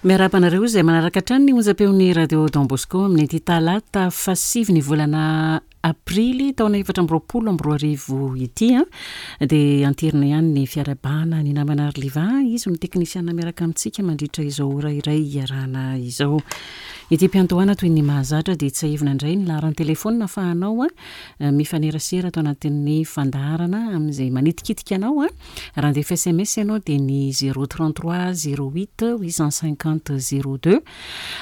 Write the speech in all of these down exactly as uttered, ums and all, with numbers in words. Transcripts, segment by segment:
Miarahaba anareo izay manaraka hatrany ny onjam-peon'ny Radio Don Bosco amin'ny talata fahasivy ny volana aprily taona efatra amby roapolo amby roa arivo ity a dia anterina ihany ny fiarahabana ny namana Arliva izy no teknisiana miaraka amintsika mandritra izao ora iray iarahana izao. Ity mpiantohana toy ny mahazatra dia tsiahivina indray ny laharan'ny telefaonina ahafahanao a mifanerasera ato anatin'ny fandaharana amin'izay manitikitika anao a raha andefa S M S ianao dia ny zéro trente-trois zéro huit huit cent cinquante zéro deux.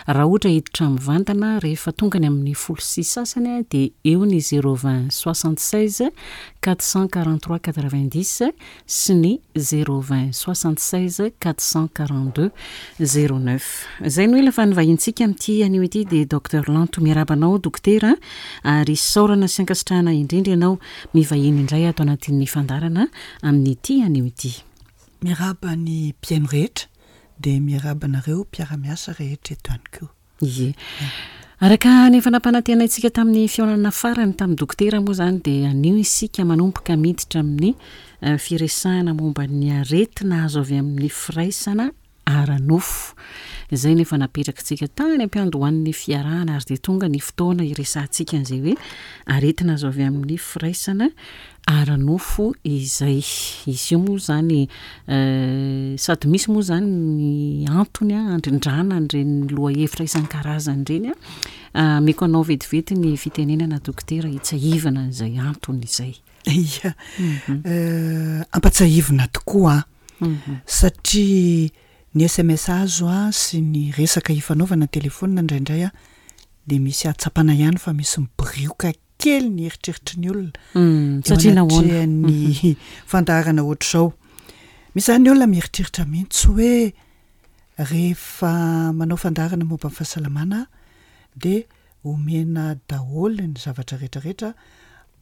Raha ohatra hiditra mivantana rehefa tonga ny amin'ny folo sy sasany a dia eo ny zéro vingt soixante-seize quatre cent quarante-trois quatre-vingt-dix sy ny zéro vingt soixante-seize quatre cent quarante-deux zéro neuf. Zay no ela fa ny vahintsika amin'ity anio ity dia Docteur Lanto. Miarahaba anao, dokotera, ary isaorana sy ankasitrahana indrindra ianao mivahiny indray ato anatin'ny fandaharana amin'ity anio ity. Miarahaba ny mpihaino rehetra, dia miarahaba anareo mpiara-miasa rehetra eto ihany koa. Ie, araka ny efa nampanantenaintsika tamin'ny fihaonana farany tamin'ny dokotera moa zany dia anio isika manomboka miditra amin'ny eh, firesahana momba ny aretina azo avy amin'ny firaisana ara-nofo izay nefa napetrakitsika tany ampiandohan'ny fiarahana, ary dia tonga ny fotoana iresahantsika an'izay hoe aretina azo avy amin'ny firaisana ara-nofo izay. Izy io moa zany eh, sady misy moa zany ny antony a andrindrana an'ireny lohahevitra isan-karazany ireny a meko anao vetivety ny fitenenana, dokotera, hitsiahivana an'izay antony izay. Ia, eh, ampatsiahivina tokoa a satria ny S M S azo a sy ny resaka ifanaovana telefaonina indraindray a de misy ahatsapana ihany fa misy mibirioka kely ny eritreritry ny olona Mm, satria nahoana? Ny fandaharana ohatr'izao, misy zany olona mieritreritra mihitsy hoe rehefa manao fandaharana momba ny fahasalamana de omena daholo ny zavatra rehetrarehetra,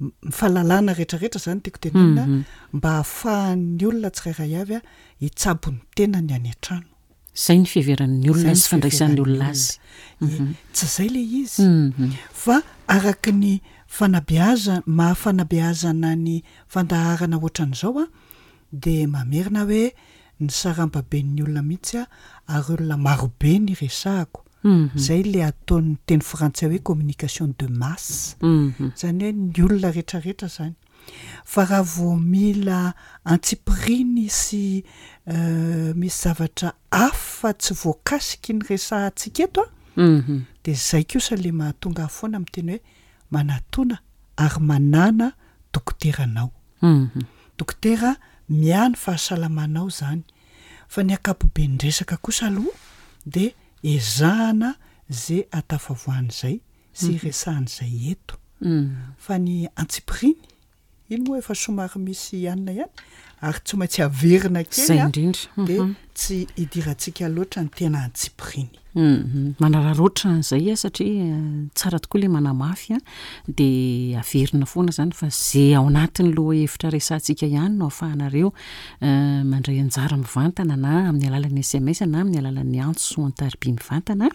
m- ny fahalalana rehetrarehetra zany tiako tenenina, Mhm. mba hahafahan'ny olona tsirairay avy a hitsabo ny tenany any an-trano. Zay ny fiheveran'ny olona Zay ny sy fandraisan'ny olona azy. Ie, tsy zay le izy, Mhm. fa araky ny fanabeaza mahafanabeazana ny fandaharana ohatran'izao a de mamerina hoe ny sarambaben'ny olona mihitsy a ary olona marobe ny resahako. Mhm. Zay le ataon'ny teny frantsay hoe communication de masse, Mhm. zany hoe ny olona rehetrarehetra zany. Fa raha vao mila antsipiriany sy euh, misy zavatra hafa tsy voakasiky ny resahantsika eto a Mhm. de zay kosa le mahatonga ahy foana miteny hoe manatona ary manana dokoteranao, Mhm. dokotera miahy ny fahasalamanao zany. Fa ny ankapoben-dresaka kosa aloha de ezahana zay atafavoahan'izay sy resahan'izay eto, Mm. fa ny antsipiriany iny moa efa somary misy anina ihany ary tsy maintsy averina kely Zay a indrindra. de Mhm. tsy idirantsika loatra ny tena antsipiriany. Mhm. manararaotra an'izay a satria eh, tsara tokoa le manamafy a de averina foana zany fa zay ao anatin'ny loha hevitra resahantsika ihany no ahafahanareo eh, mandray anjara mivantana na amin'ny alalan'ny S M S na amin'ny alalan'ny antso an-tariby mivantana.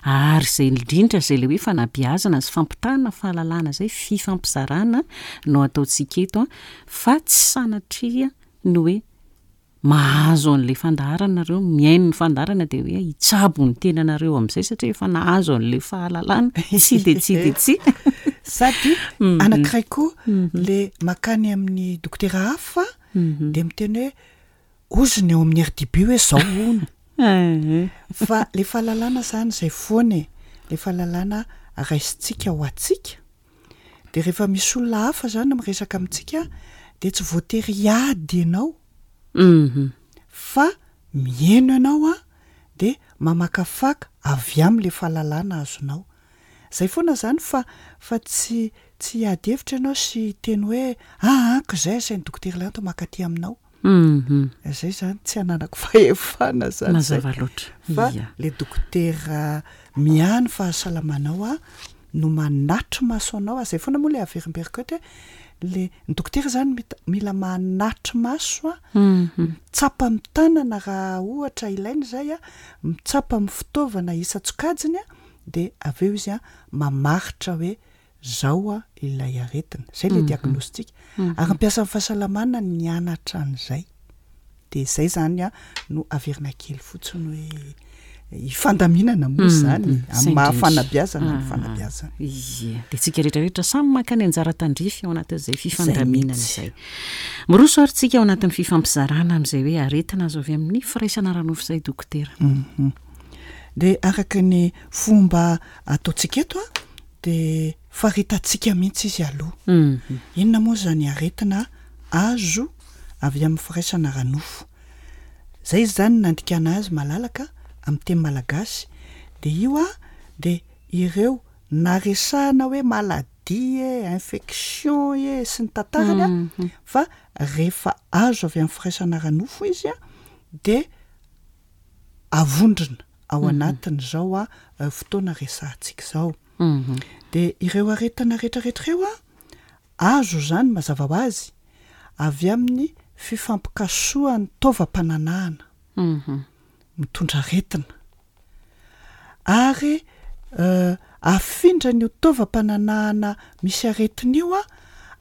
Ary zay indrindra zay le hoe fanabeazana sy fampitana fahalalana zay, fifampizarana no ataontsika eto a fa tsy sanatria ny hoe mahazo an'le fandaharana nareo, mihaino ny fandaharana, de hoe hitsabo ny tenanareo amin'izay satria efa nahazo an'le fahalalana. Tsy de tsy de tsy Sady Mhm. anankiray koa le makany amin'ny dokotera hafa Mhm. de miteny hoe ozony eo amin'ny R D B hoe zao ono, Eh, fa le fahalalana zany zay foana e, le fahalalana raisintsika ho atsika, de rehefa misy olona hafa zany miresaka amintsika de tsy voatery hiady ianao, Mhm. fa mihaino ianao a de mamakafaka avy am'le fahalalana azonao zay foana zany, fa fa tsy tsy hiady hevitra ianao sy teny hoe aa ko zay asainy dokotera Lanto makaty aminao. Mhm. Zay zany tsy ananako fahefana zany zay. Mazava loatra. Fa Ia. le dokotera miahy ny fahasalamanao a no manatry maso anao a zay foana moa le averimberiko eto hoe le ny dokotera zany mita- mila manatry maso a Mhm. mitsapa amin'ny tanana raha ohatra ilaina zay a mitsapa amin'ny fitaovana isan-tsokajiny a de avy eo izy a mamaritra hoe zao a ilay aretina zay le diagnostic. Ary mpiasa amin'ny fahasalamana nianatra an'izay, de zay zany a no averina kely fotsiny hoe Ifandaminana moa Mhm, zany zay amin'ny maha indrindra. fanabeazana ny Ah, fanabeazana. Ie, de tsika rehetrarehetra samy maka ny anjara tandrify ao anatin'izay fifandaminana mihitsy. izay. Miroso ary tsika ao anatin'ny fifampizarana amin'izay hoe aretina azo avy amin'ny firaisana ara-nofo izay, dokotera. Mhm. De araka ny fomba ataontsika eto a, de faritantsika mihitsy izy aloha. Mhm. Inona moa zany aretina azo avy amin'ny firaisana ara-nofo? Zay izy zany nandikana azy malalaka amin'ny teny malagasy. De io a, de ireo naresahana hoe maladie e, infection e, sy ny tantarany a, Mhm. fa rehefa azo avy amin'ny firaisana ara-nofo izy a, de avondrona ao anatin'izao a eh, fotoana resahantsika izao. Mhm. De ireo aretina rehetrarehetra ireo a, azo zany mazava ho azy avy amin'ny fifampikasohan'ny taovam-pananahana Mhm. mitondra aretina, ary euh, afindran'io taovam-pananahana misy aretina io a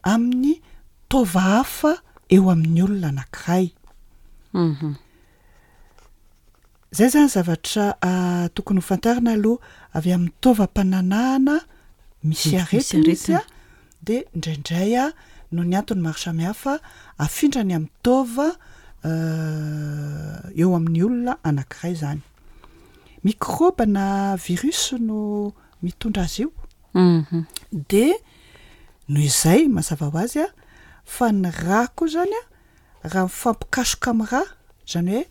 amin'ny taova hafa eo amin'ny olona anankiray. Mhm. Zay zany zavatra ah, tokony ho fantarina aloha: avy amin'ny taovam-pananahana misy Misy aretina izy a, aretina. de indraindray a, noho ny antony maro samihafa, afindrany amin'ny taova euh, eo amin'ny olona anankiray. Zany mikrôba na virus no mitondra azy io. Mhm. De noho izay, mazava ho azy a, fa ny rà koa zany a, raha mifampikasoka amin'ny rà, zany hoe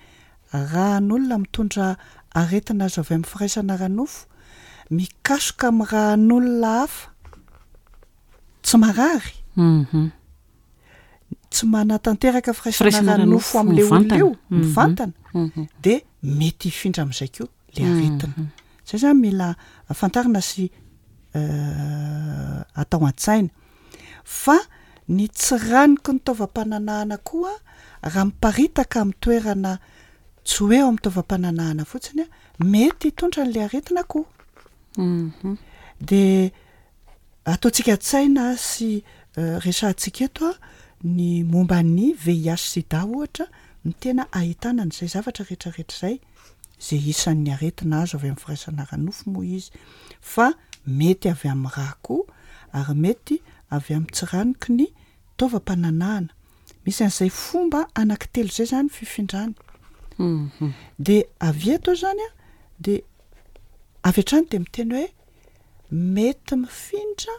ràn'olona mitondra aretina azo avy amin'ny firaisana ara-nofo mikasoka amin'ny ràn'olona hafa tsy marary, Mhm. tsy manatanteraka firaisana Firaisana ara-nofo ara-nofo amin'le olona mivantana. io Mhm. mivantana, Mhm. de mety hifindra amin'izay koa le aretina. Mhm. Zay zany mila fantarina sy euh, atao an-tsaina, fa ny tsiranoky ny taovam-pananahana koa, raha miparitaka amin'ny toerana, tsy hoe eo amin'ny taovam-pananahana fotsiny a, mety hitondra n'le aretina koa. Mhm. De ataontsika an-tsaina sy euh, resahantsika eto a ny momba ny V I H sida ohatra, ny tena ahitana an'izay zavatra rehetrarehetra zay, zay isan'ny aretina azo avy amin'ny firaisana ara-nofo moa izy, fa mety avy amin'ny rà koa, ary mety avy amin'ny tsiranoky ny taovam-pananahana. Misy an'izay fomba anankitelo zay zany fifindrany. Mhm. De avy eto zany a, de avy hatrany de miteny hoe mety mifindra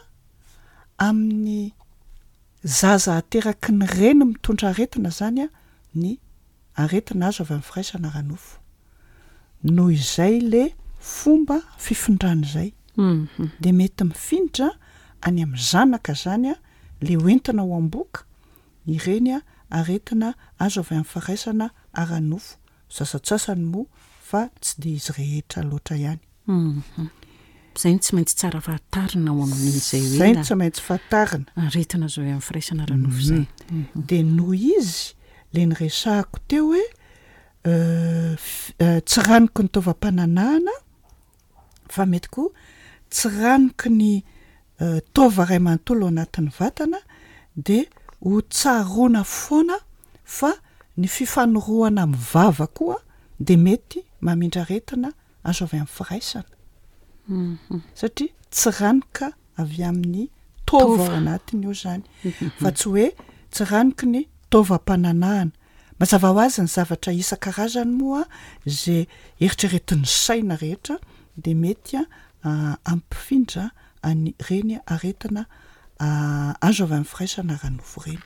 amin'ny zaza ateraky ny reny mitondra aretina zany a ny aretina azo avy amin'ny firaisana ara-nofo, noho izay le fomba fifindrany zay. Mhm. De mety mifindra any amin'ny zanaka zany a, le hoentina ao am-bohoka ireny a aretina azo avy amin'ny firaisana ara-nofo sasatsasany moa, fa tsy de izy rehetra loatra ihany. Mhm. Zay ny tsy maintsy tsara fantarina ao amin'izay hoe Zay ny na tsy maintsy fantarina. Aretina azo avy amin'ny firaisana ara-nofo zay. Mhm. De noho izy le nyresahako teo hoe euh, f- euh, tsiranoky ny taovam-pananahana, fa mety koa tsiranoky ny euh, taova ray manontolo ao anatin'ny vatana, de ho tsaroana foana fa ny fifanorohana amin'ny vava koa de mety mamindra aretina azo avy amin'ny firaisana, Mhm. satria tsiranoka avy amin'ny taova Taova. ao anatiny io zany, fa tsy hoe tsiranoky ny taovam-pananahana. Mazava ho azy, ny zavatra isan-karazany moa zay eritreretin'ny saina rehetra de mety a ampifindra any reny aretina ah, azo avy amin'ny firaisana ara-nofo reny.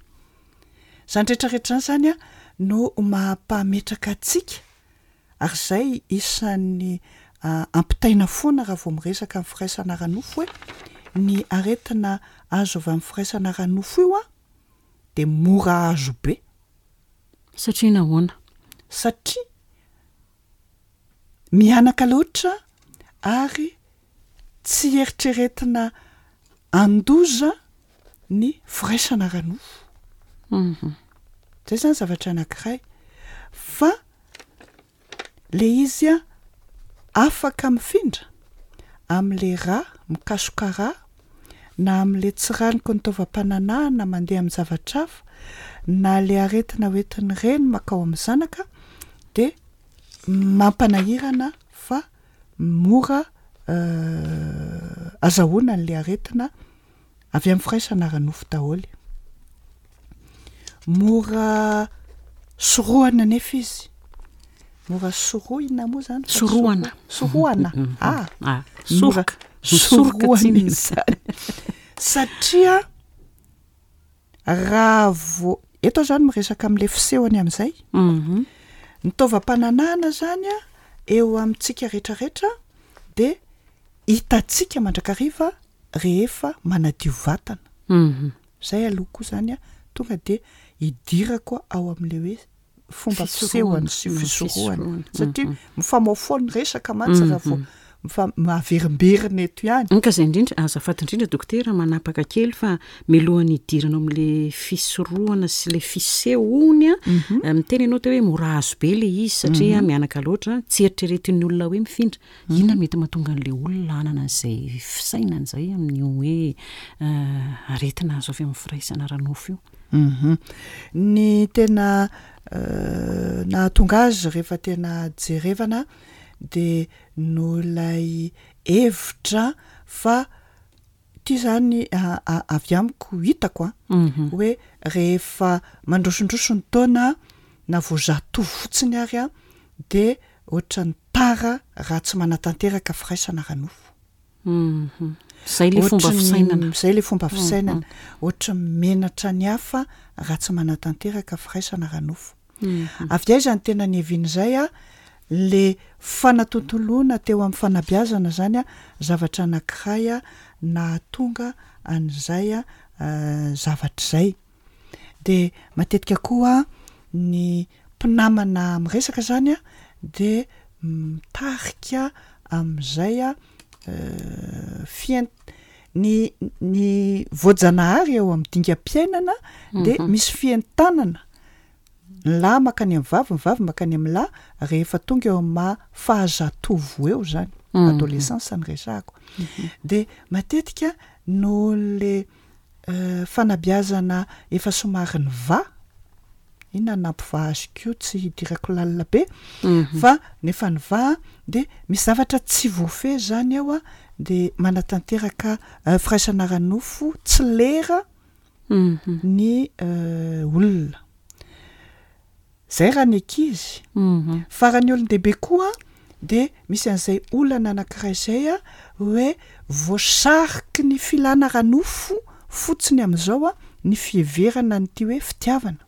Zany rehetrarehetra zany zany a no mampametraka atsika, ary zay isan'ny ah, ampitaina foana raha vao miresaka amin'ny firaisana ara-nofo, hoe ny aretina azo avy amin'ny firaisana ara-nofo io a de mora azo be. Satria nahoana? Satria mianaka loatra ary tsy eritreretina andoza ny firaisana ara-nofo. Mhm. Zay zany zavatra anankiray, fa le izy a afaka mifindra am'le rà mikasoka rà, na am'le tsiranoky ny taovam-pananahana mandeha amin'ny zavatra hafa, na le aretina hoentin'ny reny makao amin'ny zanaka, de mampanahirana fa mora azahoana an'le aretina avy amin'ny firaisana ara-nofo daholo. Mora sorohana nefa izy, mora sorohina moa zany? Sorohana. Sorohana, ah, Ah, mora soroka. Misoroka sorohana tsinona. izy zany satria raha vo eto aho zany miresaka amin'le fisehony amin'izay, Mhm. ny taovam-pananahana zany a eo amintsika rehetrarehetra de hitantsika mandrakariva rehefa manadio vatana. Mhm. Zay aloha koa zany a tonga de idirako ao amin'le hoe fomba Fisorohana. fisehony sy Mm, fisorohana fisorohana. satria Mhm. mifamofoa ny resaka mantsy raha vao Mhm. mifa- maverimberina eto ihany. Ka zay indrindra, azafady indrindra dokotera, manapaka kely fa mialohan'ny hidirana amin'le fisorohana sy le fisehony a, Mhm. eh, miteny ianao teo hoe mora azo be le izy satria mianaka loatra, tsy eritreretin'ny olona hoe mifindra. Inona mety mahatonga an'le olona hanana an'izay fisainana izay amin'io hoe eh, aretina azo avy amin'ny firaisana ara-nofo io? Mhm. Ny tena euh, nahatonga azy rehefa tena jerevana de noho ilay hevitra fa ty zany a- a- avy amiko hitako a Mhm. hoe rehefa mandrosondroso ny taona na vao zatovo fotsiny ary a de ohatran'ny tara raha tsy manatanteraka firaisana ara-nofo. Mhm. Zay le fomba Ohatry ny- fisainana. Zay le fomba fisainana, ohatry ny menatra ny hafa raha tsy manatanteraka firaisana ara-nofo. Mhm. Avy aiza ny tena niavian'izay a le fanatontoloana teo amin'ny fanabeazana zany a zavatra anankiray a nahatonga an'izay a eh, zavatra izay. De matetika koa ny mpinamana miresaka zany a de mitarika amin'izay a eh, fien- ny ny voajanahary eo amin'ny dingam-piainana de Mhm. misy fientanana, ny lahy mankany amin'ny vavy, ny vavy mankany amin'ny lahy rehefa tonga eo amin'ny maha fahazatovo eo zany, Mhm. adolescence ny resahako. De matetika noho le eh, fanabeazana efa somary nivaha, inona no nampivaha azy koa tsy hidirako lalina be, Mhm. fa nefa nivaha de misy zavatra tsy voafehy zany eo a de manatanteraka eh, firaisana ara-nofo tsy lera Mhm. ny eh, olona. Zay raha ny ankizy. Mhm. Fa raha ny olon-dehibe koa de misy an'izay olana anankiray zay a hoe voasariky ny filana ara-nofo fotsiny amin'izao a ny fiheverana an'ity hoe fitiavana.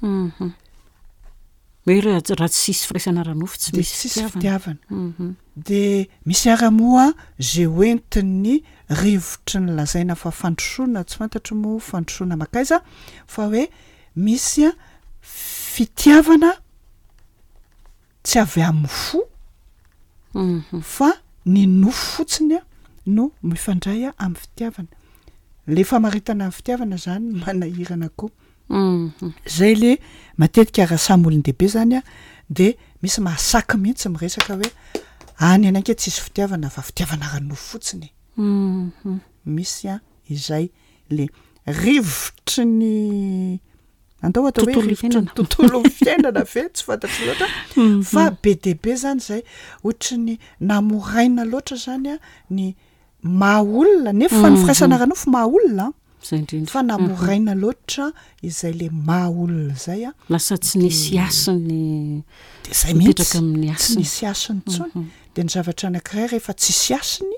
Mhm. Hoe raha raha tsisy firaisana ara-nofo tsy De misy tsisy fitiavana. fitiavana. Mhm. De misy ara moa zay hoentin'ny rivotry ny lazaina fa fandrosoana, tsy fantatro moa fandrosoana mankaiza, fa hoe misy a fitiavana tsy avy amin'ny fo Mhm. fa ny nofo fotsiny a no mifandray a amin'ny fitiavana. Le famaritana ny fitiavana zany no manahirana koa. Mhm. Zay le matetika raha samy olon-dehibe zany a de misy mahasaky mihitsy miresaka hoe any ananke tsisy fitiavana fa fitiavana ara-nofo fotsiny. Mhm. Misy a izay le rivotry ny andao atao hoe Tontolo rivotry ny iainana. tontolo fiainana ve tsy fantatro loatra Mhm. fa be dia be zany zay ohatry ny namoraina loatra zany a ny maha olona nefa ny Mhm. firaisana ara-nofo maha olona Zay indrindra. fa namoraina loatra izay le maha olona zay a Lasa tsy nisy hasiny de zay mipetraka mihitsy amin'ny tsy hasiny. nisy hasiny intsony. Mhm. De ny zavatra anankiray rehefa tsisy hasiny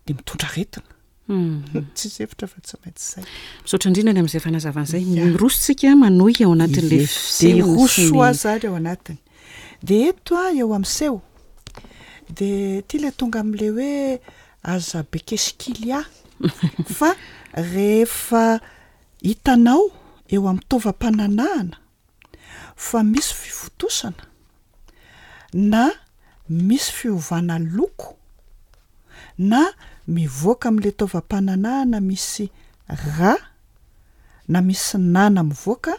de mitondra aretina. Mhm. Tsisy hevitra fa tsy maintsy zay. Misaotra indrindra ny amin'izay fanazavana izay. Ya. Miroso tsika manohy ao anatin'le Ie. De fisehony sy roso ny- aho zany ao anatiny. De eto a eo amin'ny seho de ty le tonga amin'le hoe aza be kesikily ahy fa rehefa hitanao eo amin'ny taovam-pananahana fa misy fivotosana na misy fiovana loko na mivoaka amin'le taovam-pananahana misy rà na misy nana mivoaka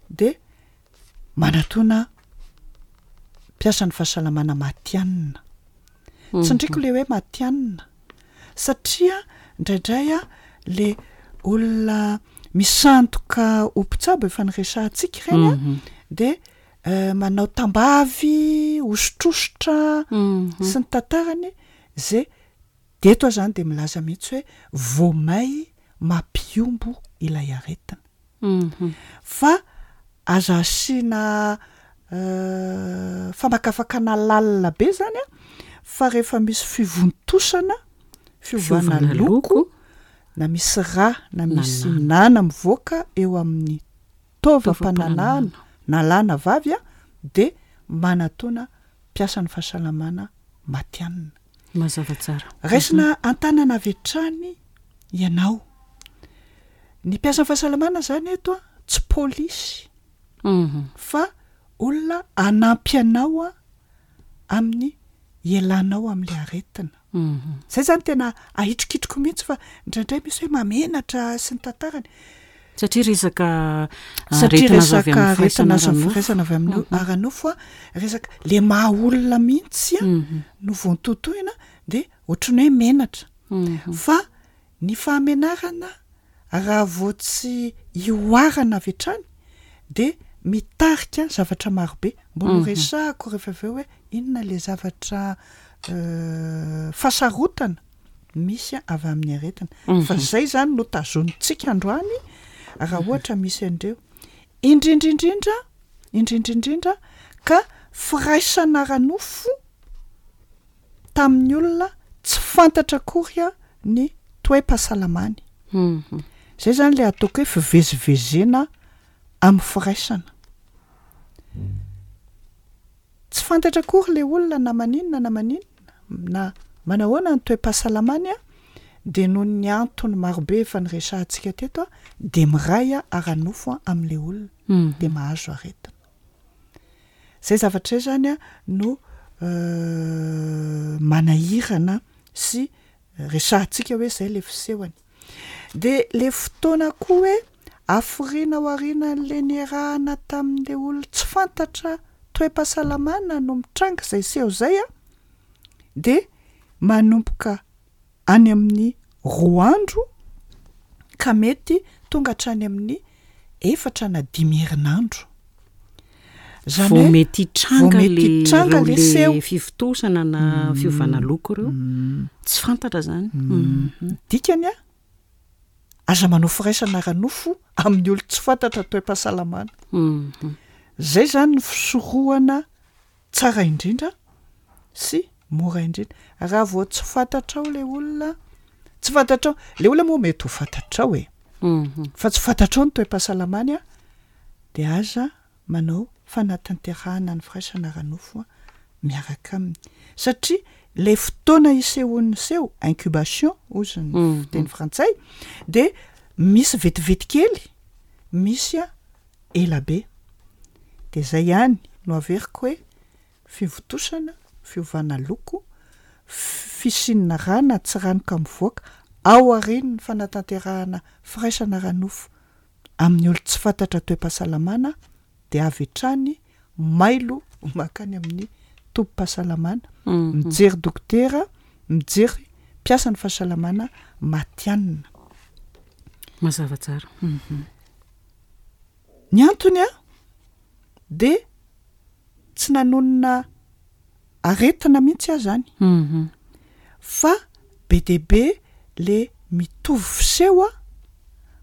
de manatona mpiasan'ny fahasalamana matihanina. Tsindriko le hoe matihanina satria indraindray a le olona misandoka ho mpitsabo efa niresahantsika ireny a Mhm. de Manao tambavy, hosotrosotra sy ny tantarany zay de eto aho zany de milaza mihitsy hoe vao may mampihombo ilay aretina. Fa aza asiana famakafakana lalina be zany a, fa rehefa misy fivontosana, fiovana loko, na misy rà na misy nana mivoaka eo amin'ny taovam-pananahana na lahy na vavy a, de manatona mpiasan'ny fahasalamana matihanina. Mazava tsara. Raisina an-tanana avy hatrany ianao. Ny mpiasan'ny fahasalamana zany eto a tsy polisy fa olona hanampy anao a amin'ny ialanao amin'le aretina. Zay zany tena ahitrikitriko mihitsy fa indraindray misy hoe mamenatra sy ny tantarany. Satria resaka Satria aretina azo avy resaka amin'ny aretina azo firaisana ara-nofo. firaisana avy amin'ny ara-nofo a, resaka le maha olona mihitsy a no voatotohina de ohatran'ny hoe menatra. Fa ny fahamenarana raha vao tsy ihoarana avy hatrany de mitarika zavatra marobe. Mbola ho resahako rehefa avy eo hoe inona le zavatra fahasarotana misy avy amin'ny aretina. Fa zay zany no tazonintsika androany raha ohatra misy an'ireo. Indrindrindrindra, indrindrindrindra ka firaisana ara-nofo tamin'ny olona tsy fantatra akory a ny toe-pahasalamany. Zay zany le ataoko hoe fivezivezena amin'ny firaisana. Tsy fantatra akory le olona na maninona na maninona na manahoana ny toe-pahasalamany a, de noho ny antony marobe efa niresahantsika teto a, de miray a ara-nofo a amin'le olona de mahazo aretina. Zay zavatra zay zany a no manahirana sy resahantsika hoe zay le fisehony. De le fotoana koa hoe hafiriana ao aorianan'le niarahana tamin'le olona tsy fantatra toe-pahasalamana no mitranga zay seho zay a, de manomboka any amin'ny roa andro ka mety tonga hatrany amin'ny efatra na dimy herinandro. Zany Vao hoe mety hitranga vao mety le hitranga ireo le le seho. fivontosana na fiovana loko ireo. Tsy fantatra zany. Dikany a, aza manao firaisana ara-nofo amin'ny olo tsy fantatra toe-pahasalamana. Zay zany ny fisorohana tsara indrindra sy mora indrindra. Raha vao tsy fantatrao le olona, tsy fantatrao, le olona moa mety ho fantatrao e, fa tsy fantatrao ny toe-pahasalamany a, de aza manao fanatanterahana ny firaisana ara-nofo a miaraka aminy. Satria le fotoana isehoan'ny seho, incubation hozy ny fiteny frantsay, de misy vetivety kely, misy a ela be. De zay ihany no averiko hoe fivontosana, fiovana loko, fisian'ny rà na tsiranoka mivoaka ao aorian'ny fanatanterahana firaisana ara-nofo amin'ny olo tsy fantatra toe-pahasalamana, de avy hatrany mailo mankany amin'ny tobim-pahasalamana, mijery dokotera, mijery mpiasan'ny fahasalamana matihanina. Mazava tsara. Ny antony a de tsy nanonona aretina mihitsy aho zany fa be dia be le mitovy fiseho a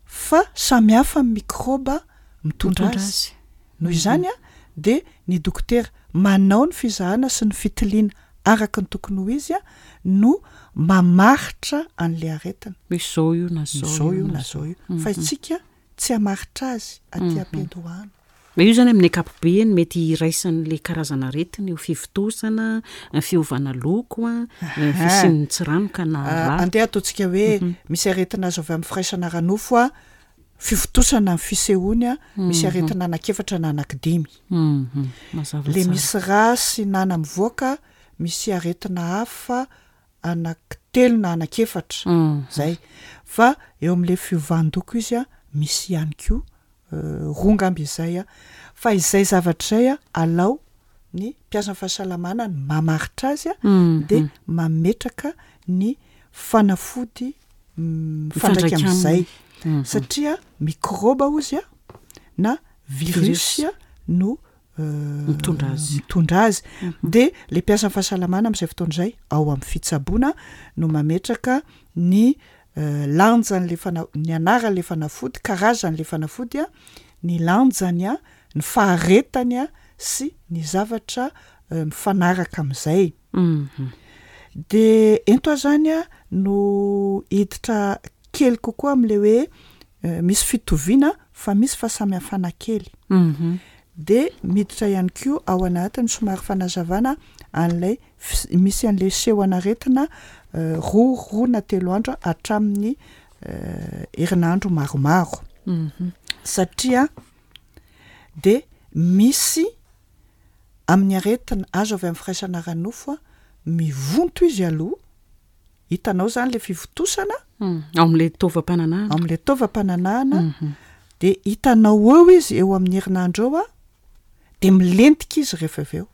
fa samy hafa ny mikrôba mitondra Mitondra azy. azy. Noho izany a de ny dokotera manao ny fizahana sy ny fitiliana araka ny tokony ho izy a no mamaritra an'le aretina. Hoe zao io na zao Zao io na zao io. Fa isika tsy hamaritra azy aty am-piandohana. Ma io zany amin'ny ankapobeny mety iraisan'le karazana aretina io fivontosana, fiovana loko a, fisian'ny tsiranoka na Ah, rà. Andeha ataontsika hoe misy aretina azo avy amin'ny firaisana ara-nofo a, fivontosana ny fisehoany a, misy aretina anankiefatra na anankidimy. Mhm. Mazava Le tsara. misy rà sy nana mivoaka, misy aretina hafa anankitelo na anankiefatra. Mhm. Zay. Fa eo amin'le fiovan-doko izy a, misy ihany koa roa angamba izay a. Fa izay zavatra izay a, alao ny mpiasan'ny fahasalamana ny mamaritra azy a, de mametraka ny fanafody mifandraika Mifandraika amin'izay. aminy. Satria mikrôba hozy a na virus Virus. no Mitondra azy. Mitondra azy. De le mpiasan'ny fahasalamana amin'izay fotoana izay ao amin'ny fitsaboana no mametraka ny lanjan'le fana- ny anaran'le fanafody, karazan'le fanafody a, ny lanjany a, ny faharetany a, sy ny zavatra mifanaraka am'izay. De ento aho zany a no hiditra kely kokoa am'le hoe misy fitoviana fa misy fahasamihafana kely. De miditra ihany koa ao anatin'ny somary fanazavana an'lay fis- misy an'le seho an'aretina roa roa na telo andro hatramin'ny herinandro maromaro, satria de misy amin'ny aretina azo avy amin'ny firaisana ara-nofo a mivonto izy aloha, hitanao zany le fivontosana ao am'le taovam-pananahana, am'le taovam-pananahana, de hitanao eo izy eo amin'ny herinandro eo a, de milentika izy rehefa avy eo.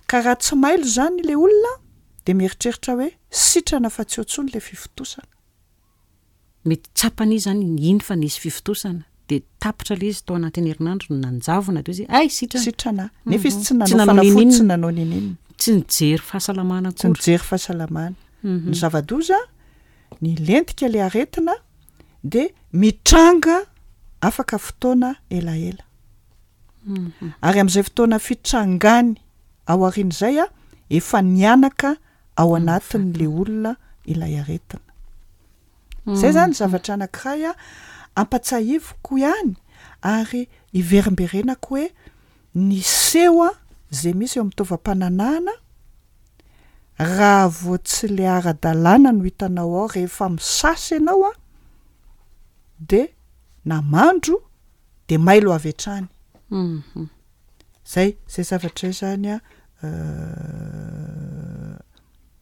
Ka raha tsy mailo zany le olona de mieritreritra hoe sitrana fa tsy eo intsony le fivontosana. Mety tsapany izy zany iny fa nisy fivontosana, de tapitra le izy tao anatin'ny herinandro nanjavona, de izy ay sitrana. Sitrana nefa izy tsy Tsy nanao nanao fanafody, nininona. Tsy nanao nininona. Tsy nijery fahasalamana Tsy akory. nijery fahasalamana. Ny zava-doza, ny lentika le aretina de mitranga afaka fotoana elaela, ary am'izay fotoana fitrangany ao aorian'izay a efa nianaka ao anatin'le olona ilay aretina. Zay zany zavatra anankiray a ampatsahivoko ihany ary iverimberenako hoe ny seho a zay misy eo amin'ny taovam-pananahana, raha vao tsy le ara-dalàna no hitanao ao rehefa misasa ianao a de na mandro de mailo avy hatrany. Zay zay zavatra zay zany a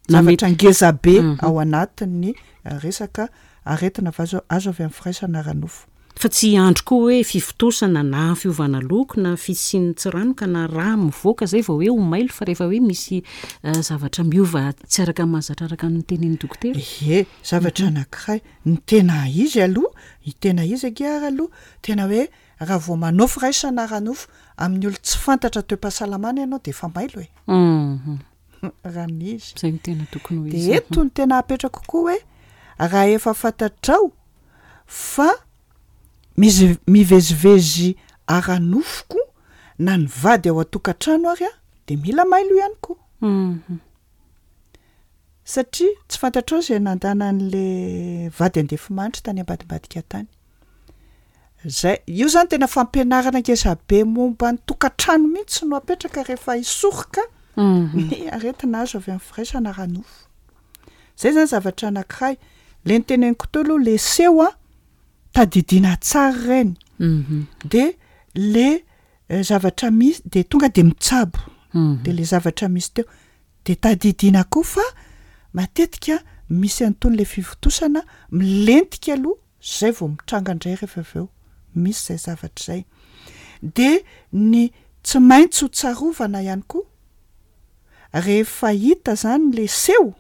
zavatra ngeza be ao anatin'ny resaka aretina vazo azo avy amin'ny firaisana ara-nofo. Fa tsy andro koa hoe fivontosana na fiovana loko na fisian'ny tsiranoka na raha mivoaka zay vao hoe ho mailo, fa rehefa hoe misy zavatra miova tsy araka ny mahazatra, araka ny tenin'ny dokotera. Ie, zavatra anankiray ny tena izy aloha, ny tena izy ange aloha tena hoe raha vao manao firaisana ara-nofo amin'ny olo tsy fantatra toe-pahasalamana ianao de efa mailo e. Raha ny izy. Zay no tena tokony ho De izy. eto ny tena apetrako koa hoe raha efa fantatrao fa misy mivezivezy ara-nofoko na ny vady ao an-tokantrano ary a de mila mailo ihany koa. Satria tsy fantatrao zay nandanan'le vady andefimandry tany ambadimbadika tany. Zay io zany tena fampianarana ngeza be momba ny tokantrano mihitsy no apetraka rehefa hisoroka ny aretina azo avy amin'ny firaisana ara-nofo. Zay zany zavatra anankiray. Le niteneniko teo aloha le seho a tadidiana tsara ireny. De le zavatra misy de tonga de mitsabo. De le zavatra misy teo de tadidiana koa fa matetika misy an'itony le fivontosana milentika aloha zay vao mitranga indray rehefa avy eo. Misy zay zavatra zay. De ny tsy maintsy ho tsarovana ihany koa rehefa hita zany le seho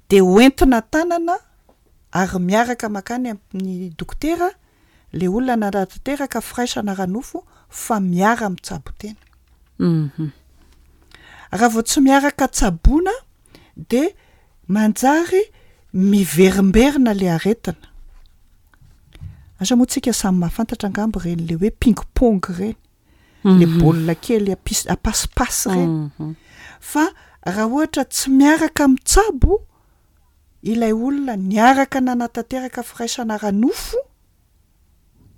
de hoentina tanana ary miaraka makany amin'ny dokotera le olona nanatanteraka firaisana ara-nofo fa miara mitsabo tena. Raha vao tsy miaraka tsaboina de manjary miverimberina le aretina. Asa moa tsika samy mahafantatra angamba ireny le hoe ping-pong ireny, le baolina kely apis- apasipasy ireny. Fa raha ohatra tsy miaraka mitsabo ilay olona niaraka nanatanteraka firaisana ara-nofo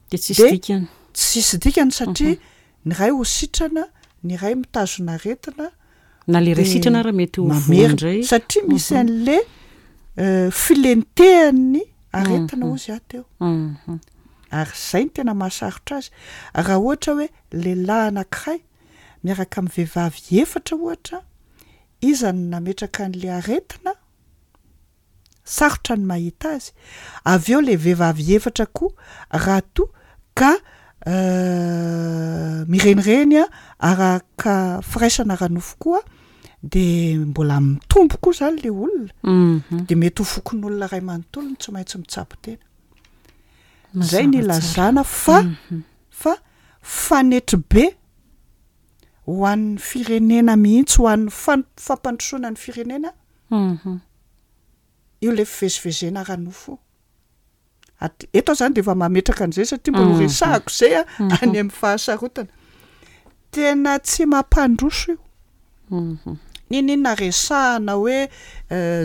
De tsisy de dikany. Tsisy dikany satria ny ray ho sitrana, ny ray mitazona aretina. Na le ray de sitrana raha mety ho mamerina voa indray. Satria misy an'le filentehan'ny aretina hozy aho teo. Ary zay no tena mahasarotra azy. Raha ohatra hoe lehilahy anankiray miaraka amin'ny vehivavy efatra ohatra, iza no nametraka an'le aretina? Sarotra ny mahita azy. Avy eo le vehivavy efatra koa raha toa ka mirenireny a araka firaisana ara-nofo koa de mbola mitombo koa zany le olona. De mety ho fokon'olona ray manontolo no tsy maintsy mitsabo tena. Zay ny Mazava tsara. ilazana fa fa fanetry be ho an'ny firenena mihitsy, ho an'ny fan- fampandrosoana ny firenena io le fivezivezena ara-nofo. At- eto aho zany de efa mametraka an'izay satria mbola ho resahako zay a any amin'ny fahasarotana. Tena tsy mampandroso io. N'inon'inona resahana hoe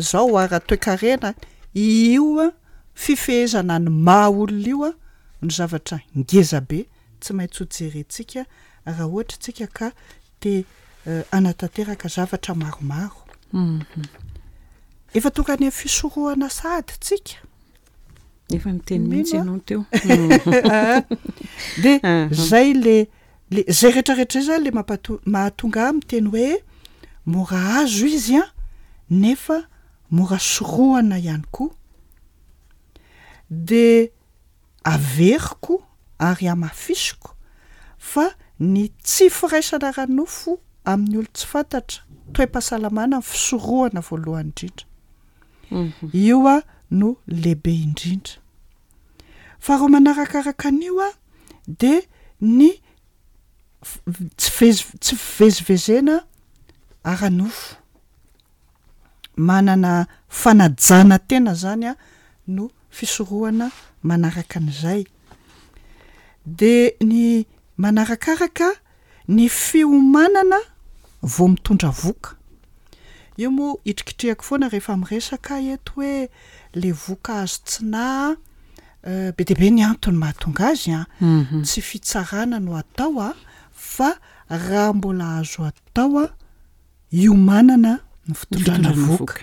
zao ara-toekarena, io a fifehezana ny maha olona io a no zavatra ngeza be tsy maintsy ho jerentsika raha ohatra tsika ka te hanatanteraka zavatra maromaro. Efa tonga any amin'ny fisorohana sahady tsika. Efa niteny mihitsy ianao teo. De zay le le zay rehetrarehetra zay zany le mampato- mahatonga ahy miteny hoe mora azo izy a nefa mora sorohana ihany koa. De averiko ary hamafisiko fa ny tsy firaisana ara-nofo amin'ny olo tsy fantatra, toe-pahasalamana ny fisorohana voalohany indrindra. Io a no lehibe indrindra. Faharoa manarakaraka an'io a de ny f- tsy vez- tsy fivezivezena ara-nofo. Manana fanajana tena zany a no fisorohana manaraka an'izay. De ny manarakaraka ny fiomanana vao mitondra voka. Io moa hitrikitrihako foana rehefa miresaka eto hoe le voka azo tsy nahy, be dia be ny antony mahatonga azy a, tsy fitsarana no atao a, fa raha mbola azo atao a iomanana ny fitondrana voka.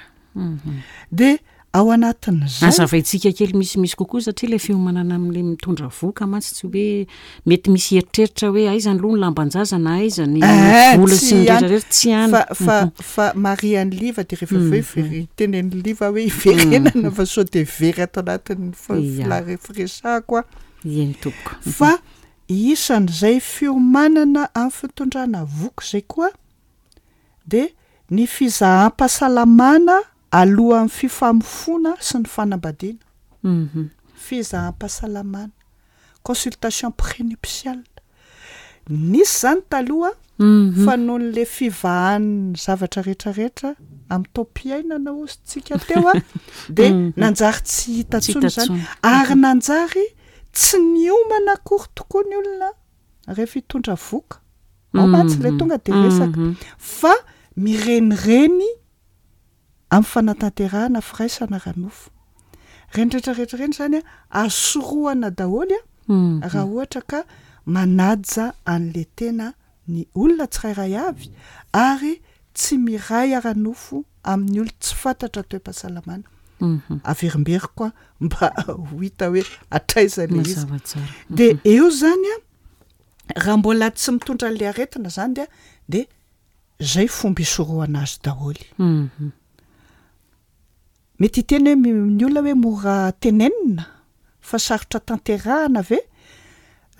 De ao anatin'izay Azavaintsika kely misimisy kokoa satria le fiomanana amin'le mitondra voka mantsy tsy hoe mety misy eritreritra hoe aiza aloha ny lamban-jaza na aiza ny Eh, vola tsy sy ny any. rehetrarehetra, tsy any. Fa fa fa marian'ny liva de rehefa avy eo very tenen'ny liva hoe iverenana fa sao de very ato anatin'ny fa- Ia. fila- firesahako a. Eny tompoko. Fa isan'izay fiomanana amin'ny fitondrana voka zay koa de ny fizaham-pahasalamana alohan'ny fifamofoana sy ny fanambadiana. Mhm. Fizaham-pahasalamana, consultation prénuptiale. Nisy zany taloha Mhm. fa noho n'le fivahan'ny zavatra rehetrarehetra amin'ny taom-piainana hozy tsika teo a de Mhm. nanjary tsy hita Tsy intsony hita zany. intsony. Ary nanjary tsy niomana akory tokoa ny olona rehefa hitondra voka. Ao mantsy le Mhm. tonga de resaka. Mhm. Fa mirenireny amin'ny fanatanterahana firaisana ara-nofo. Reny rehetrarehetra reny zany a azo sorohana daholo a Mhm. raha ohatra ka manaja an'le tena ny olona tsirairay avy ary tsy miray ara-nofo amin'ny olo tsy fantatra toe-pahasalamana. Mhm. Averimberiko a mba ho hita hoe hatraiza le izy. Mazava tsara. De eo zany a raha mbola tsy mitondra an'le aretina zany dia de zay fomba isorohana azy daholo. Mhm. Mety hiteny hoe mi- ny olona hoe mora tenenina fa sarotra tanterahana ve?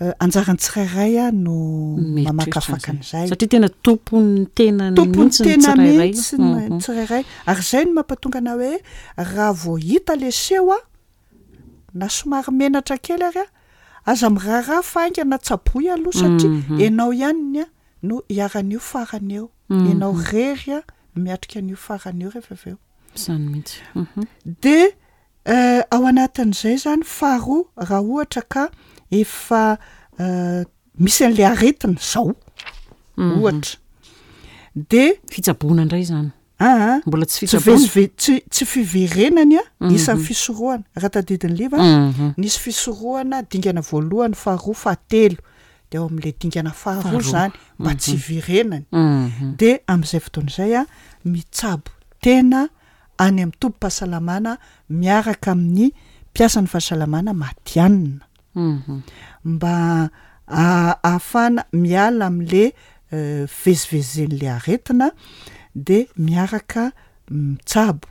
Eh, anjaran'ny tsirairay a no Mieritreritra mamakafaka an'izay. an'izay. Satria tena tompon'ny tenany Tompon'ny mihitsy ny tena tsirairay. mihitsy ny Mhm. tsirairay. Ary zay no mampatonga ana hoe raha vao hita le seho a na somary menatra kely ary a aza miraharaha fa haingana tsaboy aloha satria Mhm. ianao ihany a no hiaran'io farany eo. Mhm. Ianao rery a miatrika an'io farany eo rehefa avy eo. Izany mihitsy. Mhm. De eh, ao anatin'izay zany faharoa raha ohatra ka efa eh, misy an'le aretina zao Mhm. ohatra de Fitsaboana indray zany. aa Mbola tsy tsy fitsaboana. vezive- tsy tsy fiverenany a Mhm. isan'ny fisorohana raha tadidin'ny liva Mhm. nisy fisorohana dingana voalohany faharoa fahatelo de ao amin'le dingana faharoa Faharoa. zany mba tsy hiverenany. Mhm. De amin'izay fotoana izay a mitsabo tena any amin'ny tobim-pahasalamana miaraka amin'ny mpiasan'ny fahasalamana matihanina. Mhm. Mba a- ahafahana miala amin'le eh, fivezivezen'le aretina de miaraka mitsabo.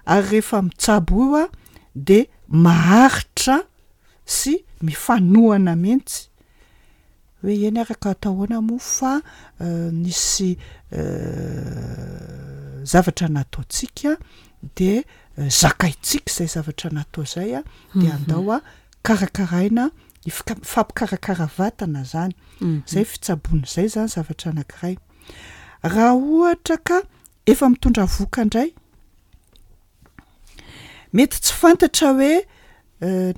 Ary rehefa mitsabo io a de maharitra sy mifanohana mihitsy. Hoe eny araka atao ahoana moa fa eh, nisy eh, zavatra nataontsika de eh, zakaintsika izay zavatra natao izay a de andao a karakaraina Ifika- mifampikarakara vatana zany. Zay fitsaboana zay zany zavatra anankiray. Raha ohatra ka efa mitondra vohoka indray, mety tsy fantatra hoe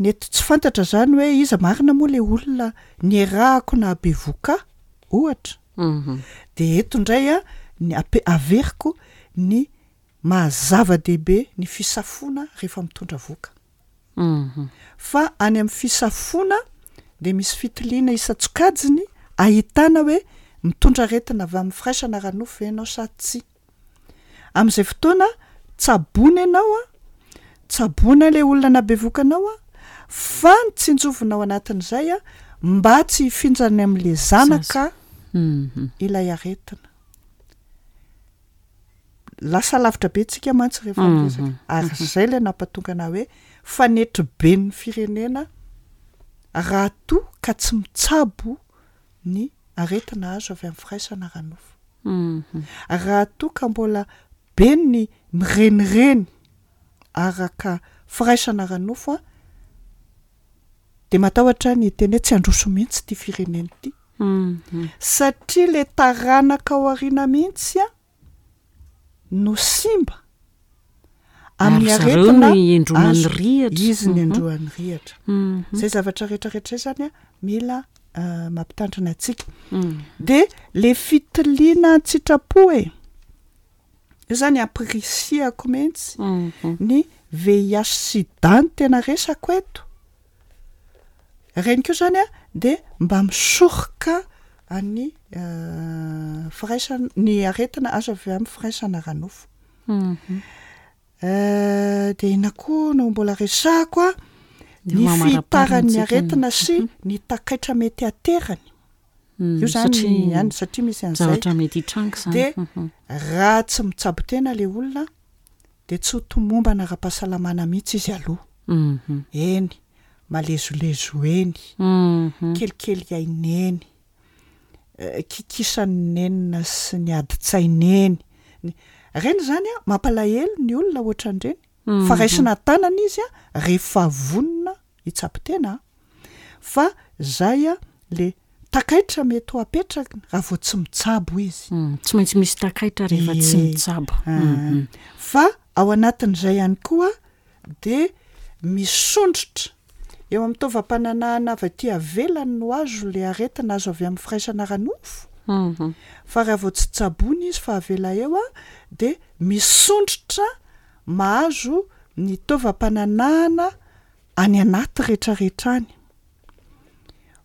nety tsy fantatra zany hoe iza marina moa le olona niarahako nahabevohoka ahy ohatra. De eto indray a ny ape- averiko ny maha zava-dehibe ny fisafoana rehefa mitondra vohoka. Fa any amin'ny fisafoana de misy fitiliana isan-tsokajiny ahitana hoe mitondra aretina avy amin'ny firaisana ara-nofo ve ianao sa tsia. Am'izay fotoana tsaboina ianao a, tsaboina le olona nahabevohoka anao a, fa ny tsinjovina ao anatin'izay a mba tsy hifindrany am'le zanaka ilay aretina. Lasa lavitra be tsika mantsy rehefa miresaka, ary zay le nampatonga ana hoe fanetriben'ny firenena raha toa ka tsy mitsabo ny aretina azo avy amin'ny firaisana ara-nofo. Raha toa ka mbola be ny mirenireny araka firaisana ara-nofo a, de matahotra ny hiteny hoe tsy handroso mihitsy ty firenena ity. Satria le taranaka ao aoriana mihitsy a no simba amin'ny Ary zareo aretina no iendronan'ny azo. rihatra. Izy ny endroan'ny rihatra. Mhm. Zay zavatra rehetrarehetra zay zany a mila euh, mampitandrina antsika. Mm. De le fitiliana an-tsitrapo e, io zany ampirisihako mihitsy Mhm. ny V I H sida no tena resako eto. Reny koa zany a de mba misoroka any, euh, firaisana, ny aretina azo avy amin'ny firaisana ara-nofo. Mhm. Euh, de inona koa no mbola resahako a, Ny ny mamaraparana fihitaran'ny antsika aretina ny- sy ny takaitra mety aterany. Mm, Io zany satria ihany, satria misy an'izay. zavatra mety hitranga izany. De Mhm. raha tsy mitsabo tena le olona de tsy ho tomombana ara-pahasalamana mihitsy izy aloha. Mhm. Eny, malezolezo eny, Mhm. kelikely aina eny, eh, kikisan'ny nenina sy ny adin-tsaina eny. Ny-, reny zany a, mampalahelo ny olona ohatran'ireny. Mhm. Fa raisina tanana izy a, rehefa vonona hitsabo tena a. Fa zay a, le takaitra mety ho apetraka raha vao tsy mitsabo izy. Mm, tsy maintsy misy takaitra rehefa tsy Ie. mitsabo. Ah. Mhm. Fa ao anatin'izay ihany koa de misondrotra eo amin'ny taovam-pananahana avy aty avelany no azo le aretina azo avy amin'ny firaisana ara-nofo. Mhm. Fa raha vao tsy tsaboina izy fa avela eo a, de misondrotra mahazo ny taovam-pananahana any anaty rehetrarehetra any.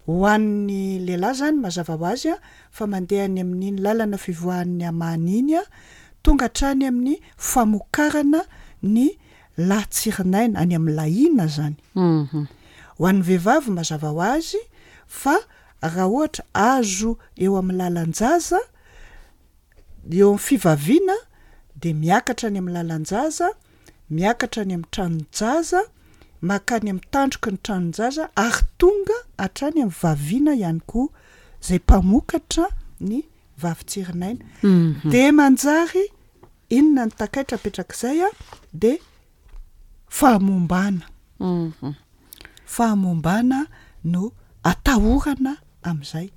Ho an'ny lehilahy zany mazava ho azy a, fa mandeha any amin'iny lalana fivoahan'ny amany iny a, tonga hatrany amin'ny famokarana ny latsirinaina, any amin'ny lahina zany. Mhm. Ho an'ny vehivavy mazava ho azy fa raha ohatra azo eo amin'ny lalan-jaza, eo amin'ny fivaviana, de miakatra any amin'ny lalan-jaza, miakatra any amin'ny tranon-jaza, makany amin'ny tandroky ny tranon-jaza, ary tonga hatrany amin'ny vaviana ihany koa, izay mpamokatra ny vavitsirinaina. Mhm. De manjary inona ny takaitra apetrak'izay a, de fahamombana. Mhm. Fahamombana no atahorana amin'izay.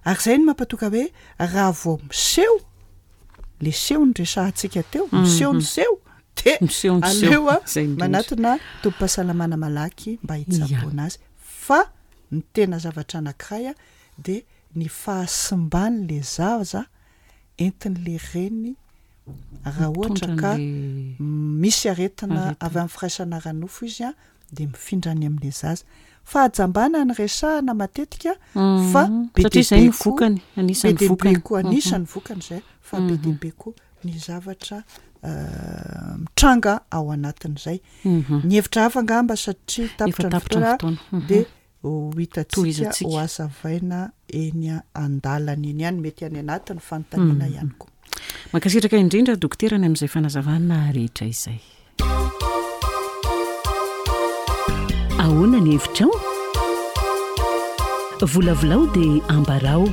Ary izay no mampatonga hoe raha vao miseho, le seho no resahantsika teo, miseho ny seho, de Miseho ny seho. aleo a, Izay indrindra. manatona tobim-pahasalamana malaky mba hitsaboana azy. Fa ny tena zavatra anankiray a, de ny fahasimban'le zaza entin'le reny raha ohatra Mitondra ka an'le misy aretina aretina. avy amin'ny firaisana ara-nofo izy a, de mifindra any amin'le zaza. Fahajambana ny resahana matetika, Mhm. fa be Satria dia izay be no koa vokany, anisan'ny be dia be vokany. koa, Mhm. anisan'ny vokany izay, fa be dia be koa ny zavatra, euh, mitranga ao anatin'izay. Mhm. Ny hevitra hafa angamba satria Efa tapitra ny tapitra ny fotoana, fotoana. Mhm. de ho hitantsika Tohizantsika. ho azavaina eny an-dalana eny ihany, mety any anatin'ny fanontaniana Mhm. ihany koa. Mankasitraka indrindra dokotera ny amin'izay fanazavana rehetra izay. Ahoana ny hevitrao? Volavolao dia ambarao.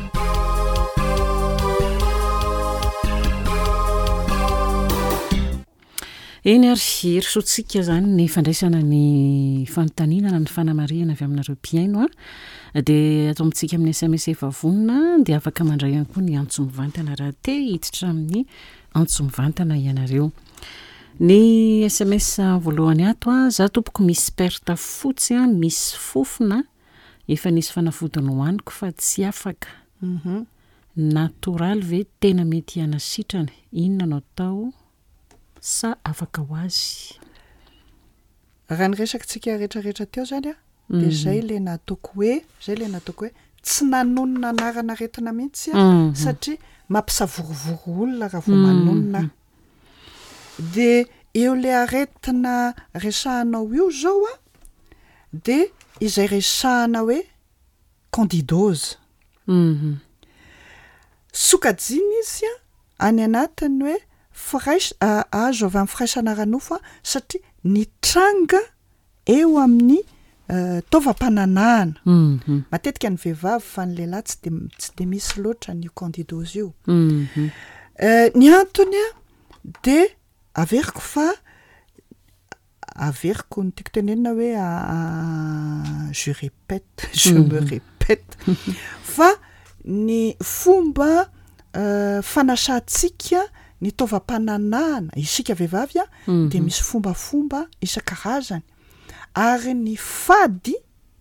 Eny ary, hirosoantsika izany ny fandraisana ny fanontaniana na ny fanamarihana avy aminareo mpihaino a. Dia ato amintsika amin'ny S M S efa vonona, dia afaka mandray ihany koa ny antso mivantana raha te hiditra amin'ny antso mivantana ianareo. Ny S M S voalohany ato a, za tompoko misy perte fotsy a, misy fofona, efa nisy fanafody nohaniko fa tsy afaka. Mhm. Natoraly ve tena mety hanasitrana? Inona no atao sa afaka ho azy? Raha ny resakitsika rehetrarehetra teo zany a, de Mhm. zay le nataoko hoe, zay le nataoko hoe tsy nanonona anarana aretina mihitsy a, Mhm. satria mampisavorovoro olona raha vao Mhm. manonona. De eo le aretina resahanao io zao a, de izay resahana hoe candidose. Mhm. Sokajiana izy a, any anatiny hoe firaisa-, a-, azo avy amin'ny firaisana ara-nofo a, satria nitranga eo amin'ny, euh, taovam-pananahana. Mhm. Matetika ny vehivavy fa ny lehilahy tsy de, tsy de misy loatra ny candidose io. Mhm. Euh, ny antony a, de averiko fa averiko ny tiako tenenina hoe, a, a, je répète, je me Mhm. répète, fa ny fomba, euh, fanasantsika ny taovam-pananahana isika vehivavy a, Mhm. de misy fombafomba isan-karazany, ary ny fady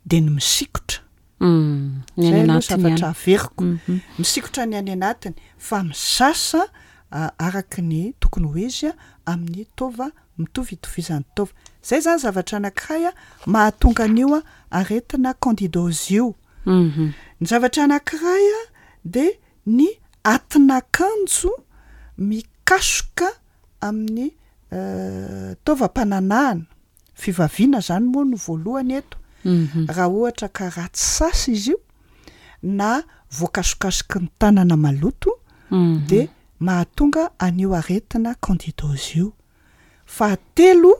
de ny misikotra. Mm. Ny any Zay aloha anatiny zavatra ihany. averiko. Mhm. Misikotra ny any anatiny, fa misasa, a, araka ny tokony ho izy a, amin'ny taova mitovy itovizan'ny taova. Zay zany zavatra anankiray a, mahatonga an'io a, aretina candidose io. Mhm. Ny zavatra anankiray a, de ny atin'akanjo mikasoka amin'ny, euh, taovam-pananahana. Fivaviana zany moa no voalohany eto. Mhm. Raha ohatra ka ratsy sasa izy io, na voakasokasoky ny tanana maloto, Mhm. de mahatonga an'io aretina candidose io. Fahatelo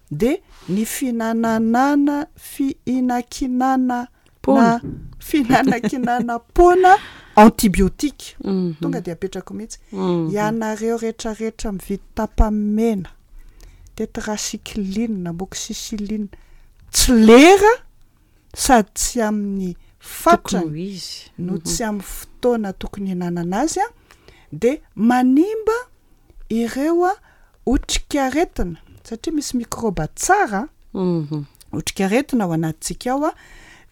de ny fihinananana, fihinakinana Poana. na fihinanakinana poana antibiotique. Mhm. Tonga de apetrako mihitsy. Mhm. Ianareo rehetrarehetra mividy tapamena, tetracycline, amoxicilline, tsy lera sady tsy amin'ny fatrany Tokony ho izy. no Mhm. tsy amin'ny fotoana tokony hihinanana azy a, de manimba ireo a otrikaretina, satria misy mikrôba tsara, Mhm. otrikaretina ao anatintsika ao a,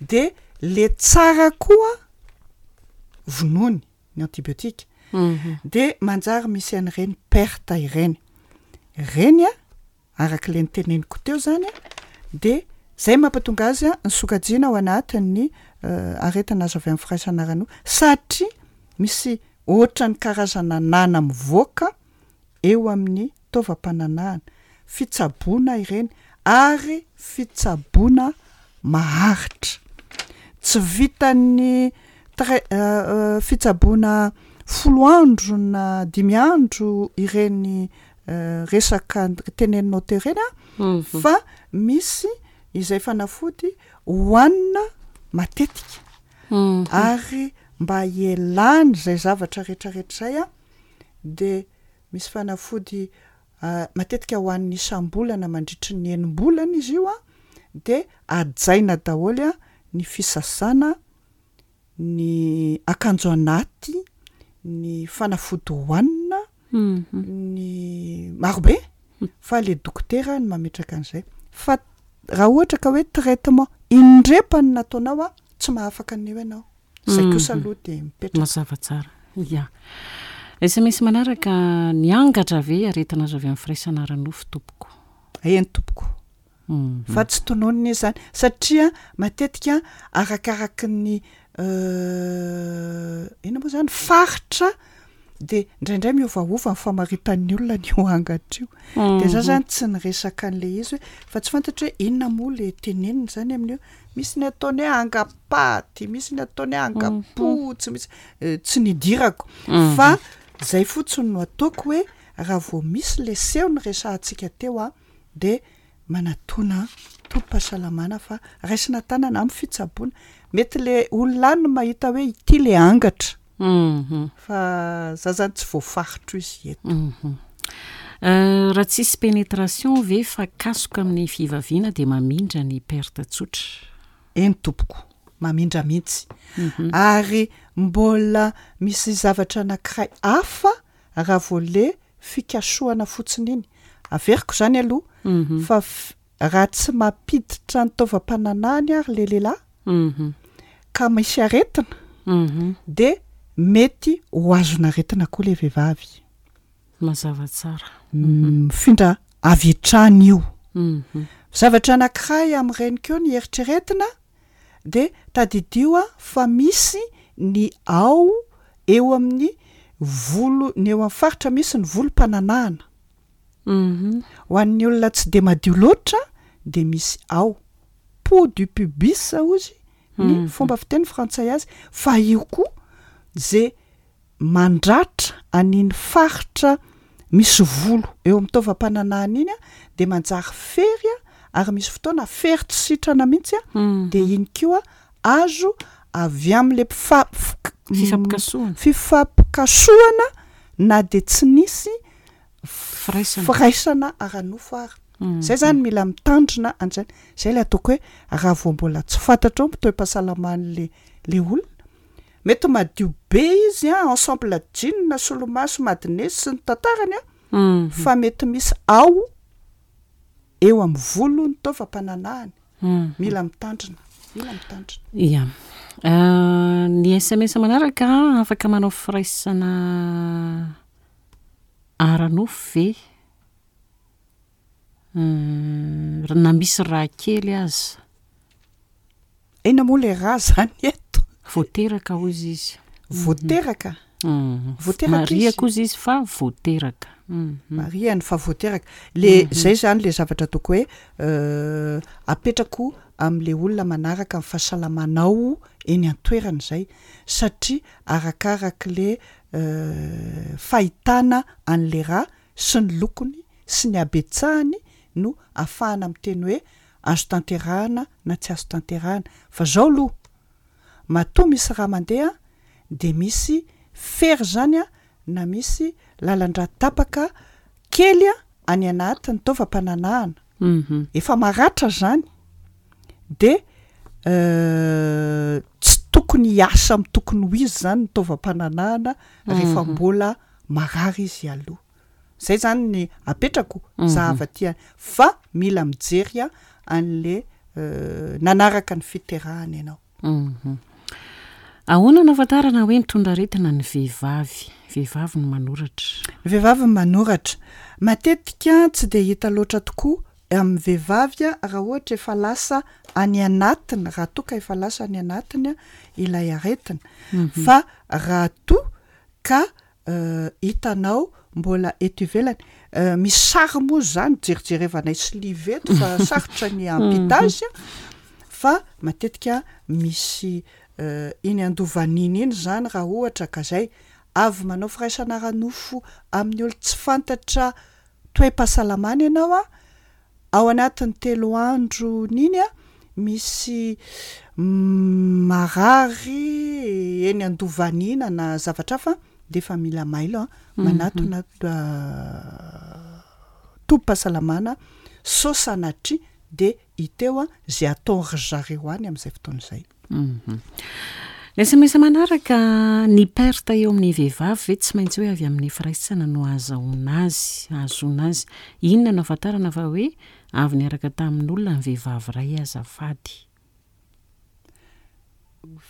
de le tsara koa vonoiny ny antibiotika. Mhm. De manjary misy an'ireny perte ireny. Ireny a, araka le niteneniko teo zany a, de zay mampatonga azy a, ny sokajiana ao anatin'ny, euh, aretina azo avy amin'ny firaisana ara-nofo, satria misy ohatran'ny karazana nana mivoaka eo amin'ny taovam-pananahana. Fitsaboana ireny, ary fitsaboana maharitra. Tsy vitan'ny trai-, euh, euh, fitsaboana folo andro na dimy andro ireny, euh, resaka teneninao teo ireny a, Mhm. fa misy izay fanafody hohanina matetika. Mhm. Ary mba hialana izay zavatra rehetrarehetra izay a, de misy fanafody, euh, matetika hohanina isam-bolana mandritry ny enim-bolana izy io a, de hajaina daholo a ny fisasana, ny akanjo anaty, ny fanafody hohanina, Mhm. ny marobe, fa le dokotera no mametraka an'izay. Fa raha ohatra ka hoe traitement indrepany nataonao a, tsy mahafaka an'io ianao. Zay kosa Mhm. aloha de mipetraka. Mazava tsara. Ya. S M S manaraka, ny angatra ve aretina azo avy amin'ny firaisana ara-nofo tompoko? Eny tompoko. Mhm. Fa tsy tononina izy zany, satria matetika arakaraky ny, euh, inona moa zany, faritra, de indraindray miovaova ny famaritan'ny olona ny io angatra io. De za Mhm. zany tsy niresaka an'le izy hoe, fa tsy fantatra hoe inona moa le tenenina zany amin'io. Misy ny ataony hoe angapaty, misy ny ataony hoe angapotsy, misy, euh, tsy nidirako. Mhm. Fa zay fotsiny no ataoko hoe raha vao misy le seho ny resahantsika teo a, de manatona tobim-pahasalamana fa raisina tanana amin'ny fitsaboana. Mety le olona any no mahita hoe ity le angatra. Mhm. Fa za zany tsy voafaritro izy eto. Mhm. Raha tsisy pénétration ve fa kasoka amin'ny fivaviana dia mamindra ny perte tsotra? Eny tompoko, mamindra mihitsy. Ary mbola misy zavatra anankiray hafa raha vao le fikasohana fotsiny iny. Averiko zany aloha fa raha tsy mampiditra ny taovam-pananahany ary le lehilahy ka misy aretina de mety ho azon'aretina koa le vehivavy. Mazava tsara. Mifindra avy hatrany io. Zavatra anankiray amin'ireny koa ny eritreretina de tadidio a fa misy ny ao eo amin'ny volo, ny eo amin'ny faritra misy ny volom-pananahana. Ho an'ny olona tsy de madio loatra de misy ao peau du pubis hozy ny fomba fiteny frantsay azy, fa io koa ze mandratra an'iny faritra misy volo eo amin'ny taovam-pananahana iny a de manjary fery a, ary misy fotoana fery tsy sitrana mihitsy a, de iny koa azo avy amin'le mpifa- Fifampikasohana. Fifampikasohana na de tsy nisy firaisana firaisana ara-nofo ary. Zay zany mila mitandrina an'izany. Zay le ataoko hoe raha vao mbola tsy fantatra ao toe-pahasalaman'le le olona, mety madio be izy a, ensemble jean, solomaso, madinesy sy ny tantarany a, fa mety misy ao eo amin'ny volo ny taovam-pananahany. Mila mitandrina, mila mitandrina. Ia. Ny S M S manaraka: afaka manao firaisana ara-nofo ve na misy raha kely aza? Inona moa le raha zany eto? Voateraka hozy izy. Voateraka? Voateraka. Mariako hozy izy fa voateraka. Mariany fa voateraka le zay zany. Le zavatra ataoko hoe apetrako am'le olona manaraka ny fahasalamanao eny an-toerana zay, satria arakarak' le fahitana an'le raha sy ny lokony sy ny habetsahany no ahafahana miteny hoe azo tanterahana na tsy azo tanterahana. Fa zao aloha, matoa misy raha mandeha de misy fery zany a, na misy lalan-dra tapaka kely a any anaty ny taovam-pananahana efa maratra zany, de tsy tokony hiasa amy tokony ho izy zany ny taovam-pananahana rehefa mbola marary izy aloha. Zay zany ny apetrako zahava ty fa mila mijery a an'le nanaraka ny fiterahana ianao. Ahoana no ahafantarana hoe mitondra aretina ny vehivavy? Vehivavy no manoratra. Ny vehivavy ny manoratra. Matetika tsy de hita loatra tokoa amin'ny vehivavy a raha ohatra efa lasa any anatiny, raha toa ka efa lasa any anatiny a ilay aretina. Fa raha toa ka hitanao mbola eto ivelany, misy sary moa zany jerijerevanay sy live eto fa sarotra ny ampita azy a, fa matetika misy iny andovan'iny iny zany raha ohatra ka zay avy manao firaisana ara-nofo amin'ny olo tsy fantatra toe-pahasalamana ianao a, ao anatin'ny telo andro n'iny a misy marary eny andovanina na zavatra hafa, de efa mila mailo a manatona tobim-pahasalamana sao sanatria de hiteo a zay ataon-ry zareo any am'izay fotoana izay. Ny S M S manaraka: ny perte eo amin'ny vehivavy ve tsy maintsy hoe avy amin'ny firaisana no ahazahoana azy, ahazoana azy? Inona no ahafantarana fa hoe avy niaraka tamin'olona ny vehivavy ray azafady?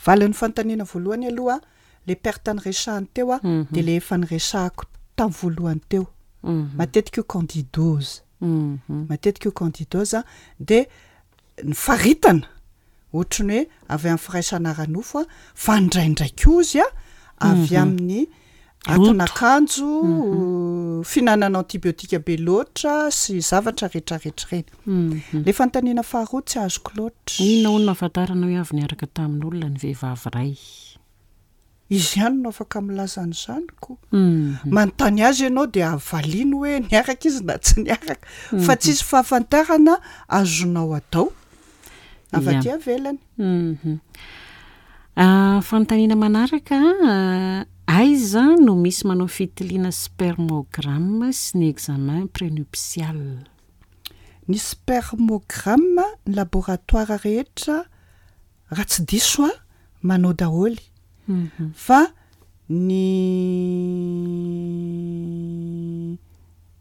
Valin'ny fanontaniana voalohany aloha, le perte nyresahany teo a, de le efa nyresahako tamin'ny voalohany teo, matetika io candidose, matetika io candidose de ny faritana ohatrany hoe avy amin'ny firaisana ara-nofo a, fa indraindray koa izy a avy amin'ny atin'akanjo, fihinanana antibiotika be loatra sy zavatra rehetrarehetra reny. Le fanontaniana faharoa tsy azoko loatra. Inona hono no ahafantarana hoe avy niaraka tamin'olona ny vehivavy ray? Izy ihany no afaka milaza an'izany ko. Manontany azy ianao de avaliany hoe niaraka izy na tsy niaraka, fa tsisy fahafantarana azonao atao avy aty avelany. Fanontaniana manaraka: Aiza no misy manao fitiliana spermogramme sy ny examen prénuptial? Ny spermogramme, ny laboratoire rehetra, raha tsy diso a, manao daholy, fa ny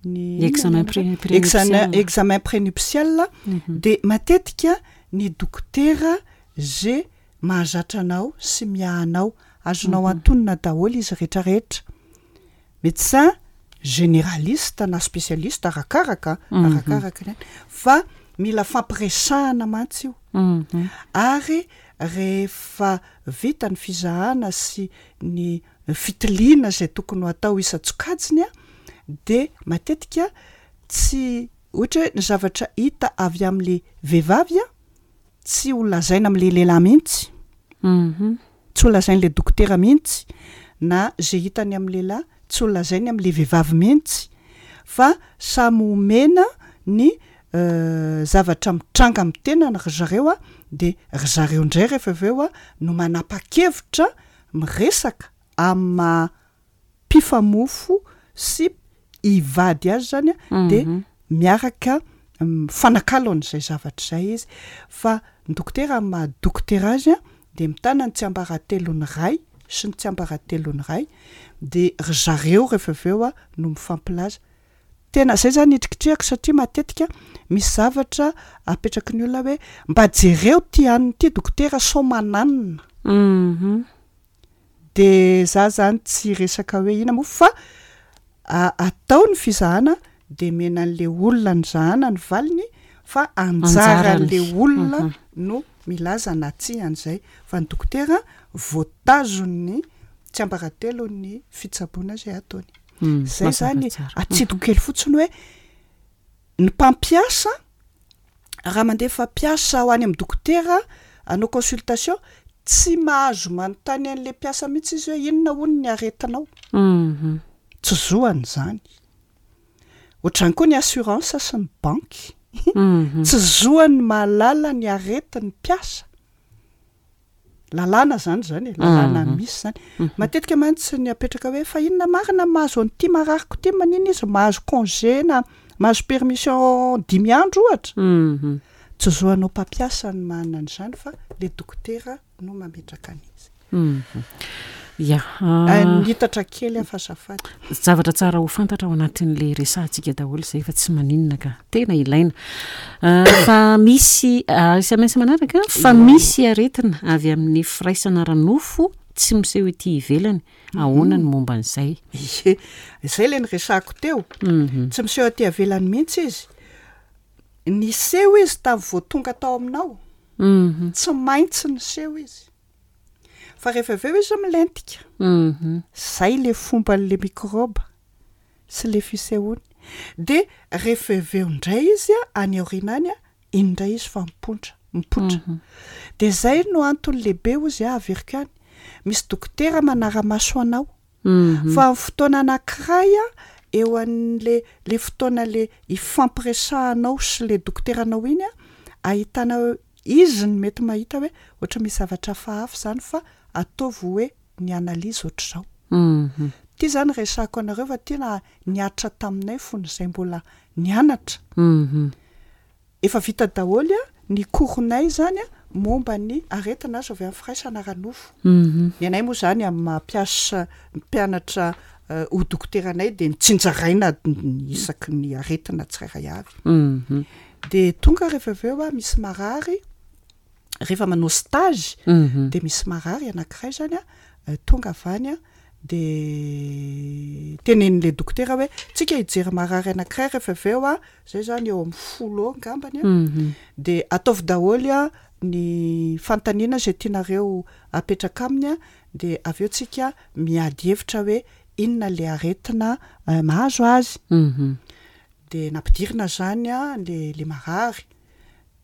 ny examen pré- examen prénuptial. Examen prénuptial de matetika ny dokotera ze mahazatra anao sy miahanao, azonao antonona daholo izy rehetrarehetra, médecin généraliste na spécialiste, arakaraka arakaraka ny any, fa mila fampiresahana mantsy io. Mhm. Ary rehefa vita ny fizahana sy ny fitiliana zay tokony ho atao isan-tsokajiny a, de matetika tsy ohatra hoe ny zavatra hita avy am'le vehivavy a, tsy ho lazaina am'le lehilahy mihitsy, Mhm. tsy ho lazain'le dokotera mihitsy, na zay hitany amy lehilahy tsy ho lazainy am'le vehivavy mihitsy, fa samy omena ny euh, zavatra mitranga amy tenany ry zareo a, de ry zareo indray rehefa avy eo a no manapa-kevitra miresaka amy maha mpifamofo sy hivady azy zany a, de Mhm. miaraka mifanakalo an'izay zavatra izay izy. Fa ny dokotera, amy maha dokotera azy a, de mitana ny tsiambaratelon'ny ray sy ny tsiambaratelon'ny ray, de ry zareo rehefa avy eo a no mifampilaza. Tena zay zany hitrikitrihako, satria matetika misy zavatra apetraky ny olona hoe mba jereo ty aniny ty dokotera sao mananina. Mhm. De za zany tsy resaka hoe ina moa, fa a- atao ny fizahana de mena an'le olona ny zahana ny valiny, fa anjaran'le Anjarany. olona Mhm. no milaza na tsia an'izay, fa ny dokotera voatazon'ny tsiambaratelon'ny fitsaboana zay ataony. Mm, Zay mazava zany tsara. atsidiko kely fotsiny hoe ny mpampiasa, raha mandefa mpiasa ho any amin'ny dokotera anao consultation, tsy mahazo manontany an'le mpiasa mihitsy izy hoe inona hono ny aretinao. Mhm. Tsy zoany zany. Ohatrany koa ny assurance sy ny banky, Mhm. tsy zoany mahalala ny aretin'ny mpiasa. Lalàna zany zany e, lalàna Mhm. misy zany. Matetika mantsy ny apetraka hoe fa inona marina mahazo an'ity marariko ty, manina izy mahazo congé na mahazo permission dimy andro ohatra? Mhm. Tsy zoanao mpampiasa ny manana an'izany, fa le dokotera no mametraka an'izy. Mhm. Ya. Ah, ah, nitatra kely aho fa azafady. Zavatra tsara ho fantatra ao anatin'le resahantsika daholo izay, fa tsy maninona ka, tena ilaina. Ah, fa misy ah, S M S manaraka: fa misy aretina avy amin'ny firaisana ara-nofo tsy miseho ety ivelany, ahoana ny momba an'izay? Ie, zay le niresahako teo. Mhm. Tsy miseho aty avelany mihitsy izy. Niseho izy tamin'ny vao tonga tao aminao. Mhm. Tsy maintsy niseho izy, fa rehefa avy eo izy milentika. Mhm. Zay le fomban'le mikrôba sy le fisehoany. De rehefa avy eo indray izy a, any aoriana any a, iny indray izy fa mipoitra mipoitra. Mhm. De zay no antony lehibe ozy a, averiko any, misy dokotera manara-maso anao. Mhm. Fa amin'ny fotoana anankiray a, eo an'le le fotoana le ifampiresahanao sy le dokoteranao iny a, ahitana hoe izy ny mety mahita hoe ohatra misy zavatra hafahafa zany, fa ataovy hoe ny analyse ohatr'izao. Mhm. Ty zany resahako anareo fa tena niatra taminay fony izay mbola nianatra. Mhm. Efa vita daholo a ny cours-nay zany a, momba ny aretina azo avy amin'ny firaisana ara-nofo. Mhm. Ny anay moa zany amin'ny maha-mpiasa mpianatra eh, ho dokoteranay, de nitsinjaraina ny isaky ny aretina tsirairay avy. Mhm. De tonga rehefa avy eo a, misy marary rehefa manao stage, Mhm. de misy marary anankiray zany a, eh, tonga avy any a, de tenenin'le dokotera hoe tsika hijery marary anankiray rehefa avy eo a, zay zany eo amin'ny folo eo angambany a, Mhm. de ataovy daholo a ny fanontaniana zay tianareo apetraka aminy a, de avy eo tsika miady hevitra hoe inona le aretina eh, mahazo azy. Mhm. De nampidirina zany a le le marary,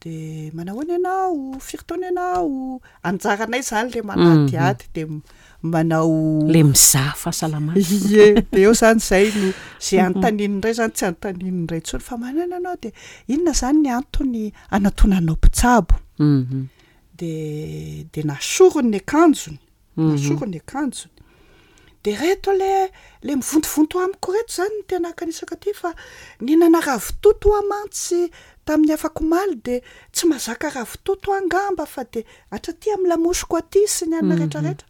de manahoana ianao, firy taona ianao, anjaranay zany le manadihady de m- manao Le mizaha fahasalamana. Ie, de eo zany zay no zay anontaniany indray zany, tsy anontaniany indray intsony fa manana anao, de inona zany ny antony anatonanao mpitsabo? Mhm. De de nasorony ny akanjony, Mhm. nasorony ny akanjony, De reto le le mivontovonto amiko reto zany no tena akanisako aty fa nihinana ravitoto aho mantsy tamin'ny afak'omaly de tsy mahazaka ravitoto aho angamba fa de hatraty amin'ny lamosiko aty sy ny anona rehetrarehetra.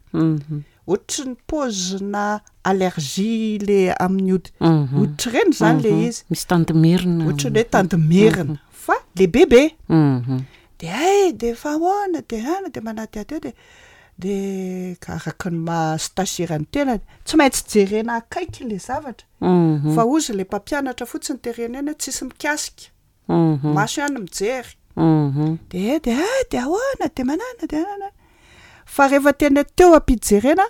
Ohatry ny paozina allergie le amin'ny hodi- hoditra ireny zany le izy. Misy tandimerina. Ohatry ny hoe tandimerina fa lehibebe. De hay de fa ahoana de ana de manadihady eo de de araka ny maha stagiaire ny tenany tsy maintsy jerena akaiky le zavatra fa ozy le mpampianatra fotsiny terena eny hoe tsisy mikasika, maso ihany mijery. De de ah de ahoana de manana de anana, fa rehefa tena teo am-pijerena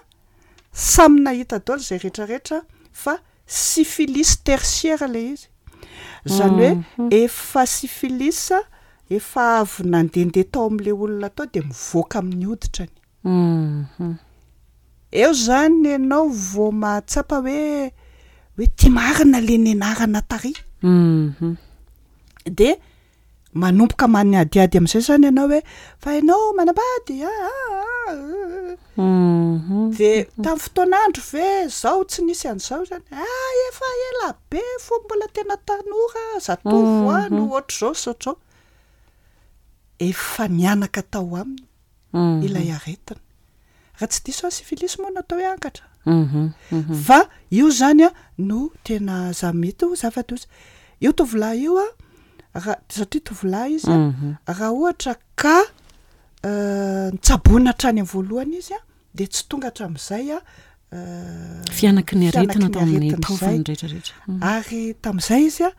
samy nahita daholo zay rehetrarehetra fa syphilis tertiaire le izy, zany hoe efa syphilis efa avy nandehandeha tao am'le olona tao de mivoaka amin'ny hoditrany. Eo zany ianao vao mahatsapa hoe hoe ty marina le nianarana tary. De manomboka manadihady am'izay zany ianao hoe fa ianao manambady ah ah ah. De tamin'ny fotoan'andro ve zao tsy nisy an'izao zany? Ah efa ela be fony mbola tena tanora zatovo a no ohatr'izao sy ohatr'izao. Efa nianaka tao aminy ilay aretina. Raha tsy diso aho syphilis moa no atao hoe angatra. Fa io zany a no tena za mety ho zava-doza. Io tovolahy io a raha satria tovolahy izy a raha ohatra ka nitsaboina hatrany amin'ny voalohany izy a de tsy tonga hatramin'izay a Fianaky ny aretina fianaky ny tao amin'ny aretina taovany izay. rehetrarehetra. Ary tamin'izay izy a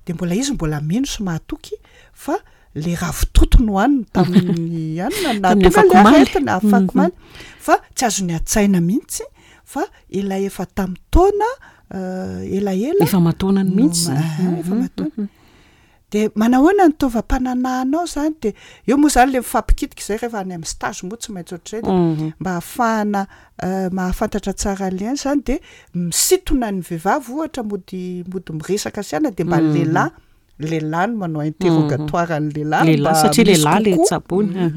de mbola izy mbola mino sy mahatoky fa le ravitoto no hohaniny tamin'ny anona Tamin'ny nahatonga le afakomaly. aretina afakomaly fa tsy azony an-tsaina mihitsy fa ilay efa tamin'ny taona elaela Efa mataonany mihitsy no- zany. ah, efa mataona. De manahoana ny taovam-pananahanao zany de eo moa zany le mifampikitika zay rehefa any amin'ny stage moa tsy maintsy ohatr'izay de mba ahafahana mahafantatra tsara an'le any zany de misintona ny vehivavy ohatra mody mody miresaka sy ana de mba ny lehilahy lehilahy no manao interrogatoire ny lehilahy Lehilahy mba satria misy lehilahy le kokoa. tsaboina.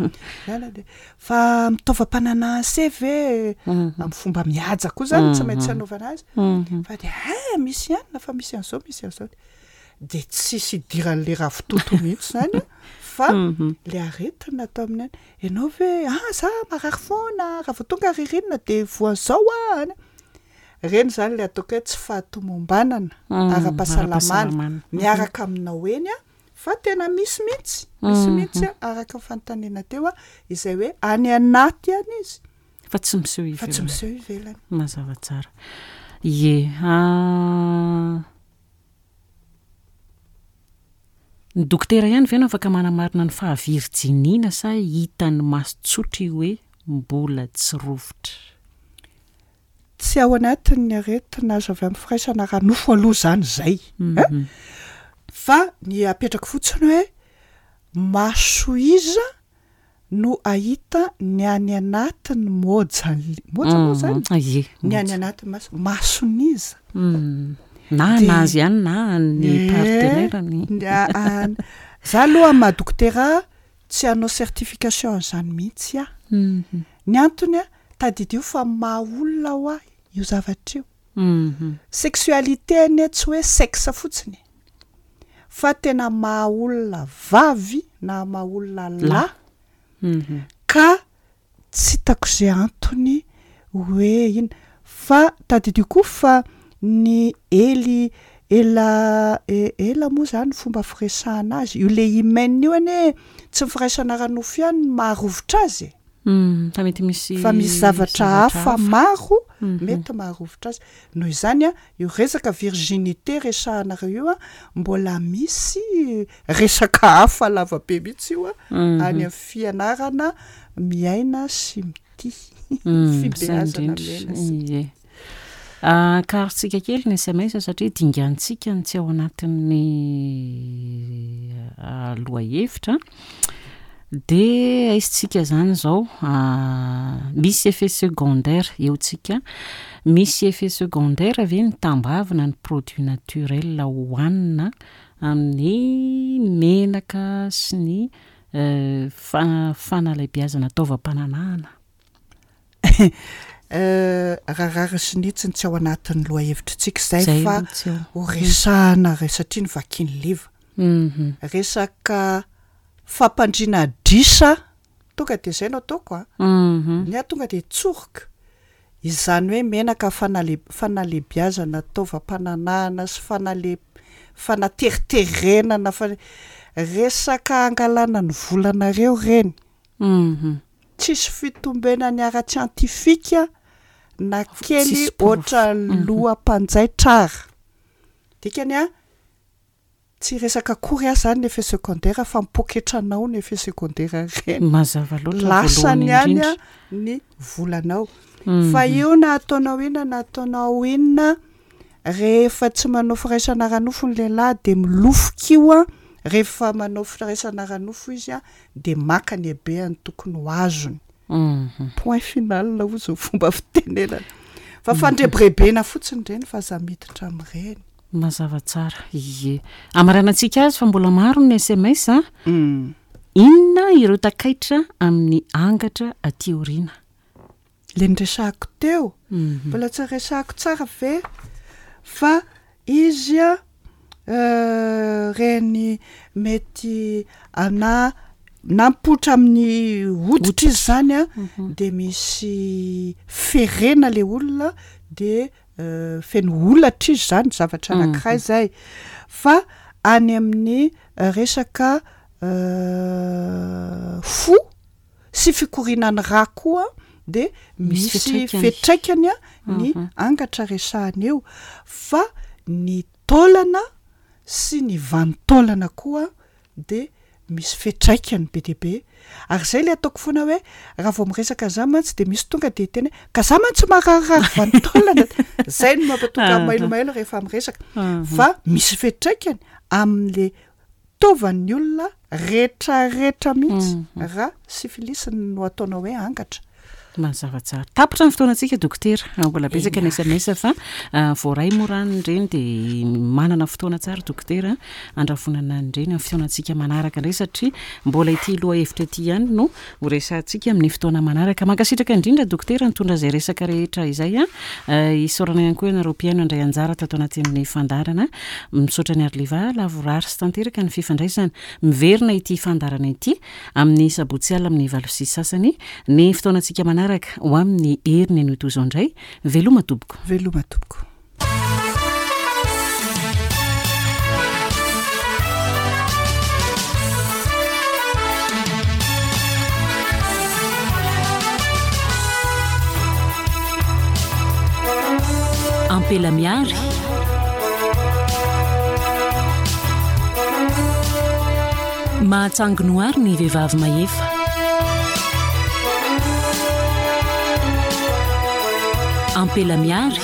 Zany de fa mitaovam-pananahana se ve amin'ny fomba mihaja koa zany tsy maintsy anaovana azy fa de ah misy ihany fa misy an'izao misy an'izao de tsisy idiran'le ravitoto mihitsy zany a fa le aretina atao amin'ny any ianao ve ah za marary foana raha vao tonga ririnina de voan'izao ah any reny zany le ataoko hoe tsy fahatomombanana ara-pahasalamana ara-pahasalamana. miaraka aminao eny a fa tena misy mihitsy misy mihitsy a araka ny fanontaniana teo a izay hoe any anaty any izy Fa tsy miseho fa tsy ivelany. miseho ivelany. Mazava tsara. Ie. ah, Ny dokotera ihany ve no afaka manamarina ny fahavirjiniana sa hitan'ny maso tsotra io hoe mbola tsy rovitra? Tsy ao anatin'ny aretina azo avy amin'ny firaisana ara-nofo aloha zany zay. Eh? Fa ny apetrako fotsiny hoe maso iza no ahita ny any anatin'ny moja moja moa zany? Ie. Ny any anatin'ny maso mason'iza. Mm. Na De- anazy ihany na ny Eh, partenaire-ny. ny a- a- Za aloha amin'ny maha dokotera tsy hanao certification an'izany mihitsy aho. Mhm. Ny antony a tadidio fa maha olona ho ahy io zavatra io. Mhm. Sexualité anie tsy hoe sexe fotsiny fa tena maha olona vavy na maha olona lahy Mhm. ka tsy hitako izay antony hoe inona fa tadidio koa fa ny ely ela e- ela moa zany fomba firesahana azy io le hymen io anie tsy ny firaisana ara-nofo ihany no maharovitra azy e. Mm, fa mety misy fa misy zavatra hafa maro Mhm. mety maharovitra azy noho izany a io resaka virginité resahanareo io a mbola misy resaka hafa lavabe mihitsy io a Mhm. any amin'ny fianarana miaina sy mitia Mm, fibeazana izay indrindra. miaina sy Ie. Ah, Karotsika kely ny S M S satria dingantsika ny tsy ao anatin'ny ah, lohahevitra. De aisitsika zany zao, ah, misy effet secondaire eo tsika. Misy effet secondaire ve ny tambavina ny produit naturel hohanina amin'ny menaka sy ny, eh, fa-, fanalehibiazana taovam-pananahana? Raha rariny sy ny hitsiny tsy ao anatin'ny lohahevitritsika izay Zay fa no tsy ao. ho resahana re satria ny vakin'ny liva. Mhm. Resaka fampandriana adrisa, tonga de zay no ataoko a. Mhm. Ny ahy tonga de tsoriko. Izany hoe menaka fanale- fanalebiazana taovam-pananahana sy fanale- fanateriterenana fa resaka angalana ny volanareo reny. Mhm. Tsisy fitombenany ara-tsiantifika na kely Tsisy porofo. ohatran'ny Mhm. loha-mpanjaitra ara. Dikany a, tsy resaka akory aho zany ny effet secondaire fa mipoketranao ny effet secondaire reny. Mazava loatra Lasany voalohany ihany a indrindra. ny volanao. Mhm. Fa io na ataonao inona na ataonao inona, rehefa tsy manao firaisana ara-nofo ny lehilahy de milofoka io a, rehefa manao firaisana ara-nofo izy a, de maka ny habeany tokony ho azony. Mhm. Point final hoy zao fomba fitenenana. Fa fandrebirebena fotsiny ireny fa aza miditra amin'ireny. Mazava tsara. Ie. Amaranantsika azy fa mbola maro ny S M S a. Mm. Inona ireo takaitra amin'ny angatra aty aoriana? Le niresahako teo. Mhm. Mbola tsy resahako tsara ve? Fa izy a, euh, reny mety ana nampoitra amin'ny hoditra izy zany a, Mhm. de misy ferena le olona, de, euh, feno holatra izy zany, zavatra Mhm. anankiray zay. Fa any amin'ny resaka, euh, fo sy fikorianan'ny rà koa, de Misy misy fiantraikany. fiantraikany a ny Mhm. angatra resahana eo. Fa ny taolana sy ny vanin-taolana koa de misy fiantraikany be dia be. Ary zay le ataoko foana hoe raha vao miresaka an'izany mantsy de misy tonga de tena hoe ka za mantsy mararirary vanin-taolana. Zay no mampatonga Aha. mailomailo rehefa miresaka. Aha. Fa misy fiantraikany amin'le taovan'ny olona rehetrarehetra mihitsy Mhm. raha syphilis no ataonao hoe angatra. Mazava tsara. Tapitra ny fotoanantsika dokotera. Mbola betsaka ny S M S fa, ah, voaray moa rano ireny de manana fotoana tsara dokotera andravonana an'ireny amin'ny fotoanantsika manaraka indray satria mbola ity lohahevitra ity ihany no ho resahantsika amin'ny fotoana manaraka. Mankasitraka indrindra dokotera nitondra izay resaka rehetra izay a. Ah, isaorana ihany koa ianareo mpihaino handray anjara tato anatin'ny fandaharana. Misaotra ny Arliva lavorary sy tanteraka ny fifandraisana. Miverina ity fandaharana ity amin'ny sabotsy alina amin'ny valo sy sasany ny fotoanantsika manaraka ho amin'ny heriny anio toy izao indray. Veloma tompoko. Veloma tompoko. Ampela miary. Mahatsangonoary ny vehivavy mahefa. Ampela miary.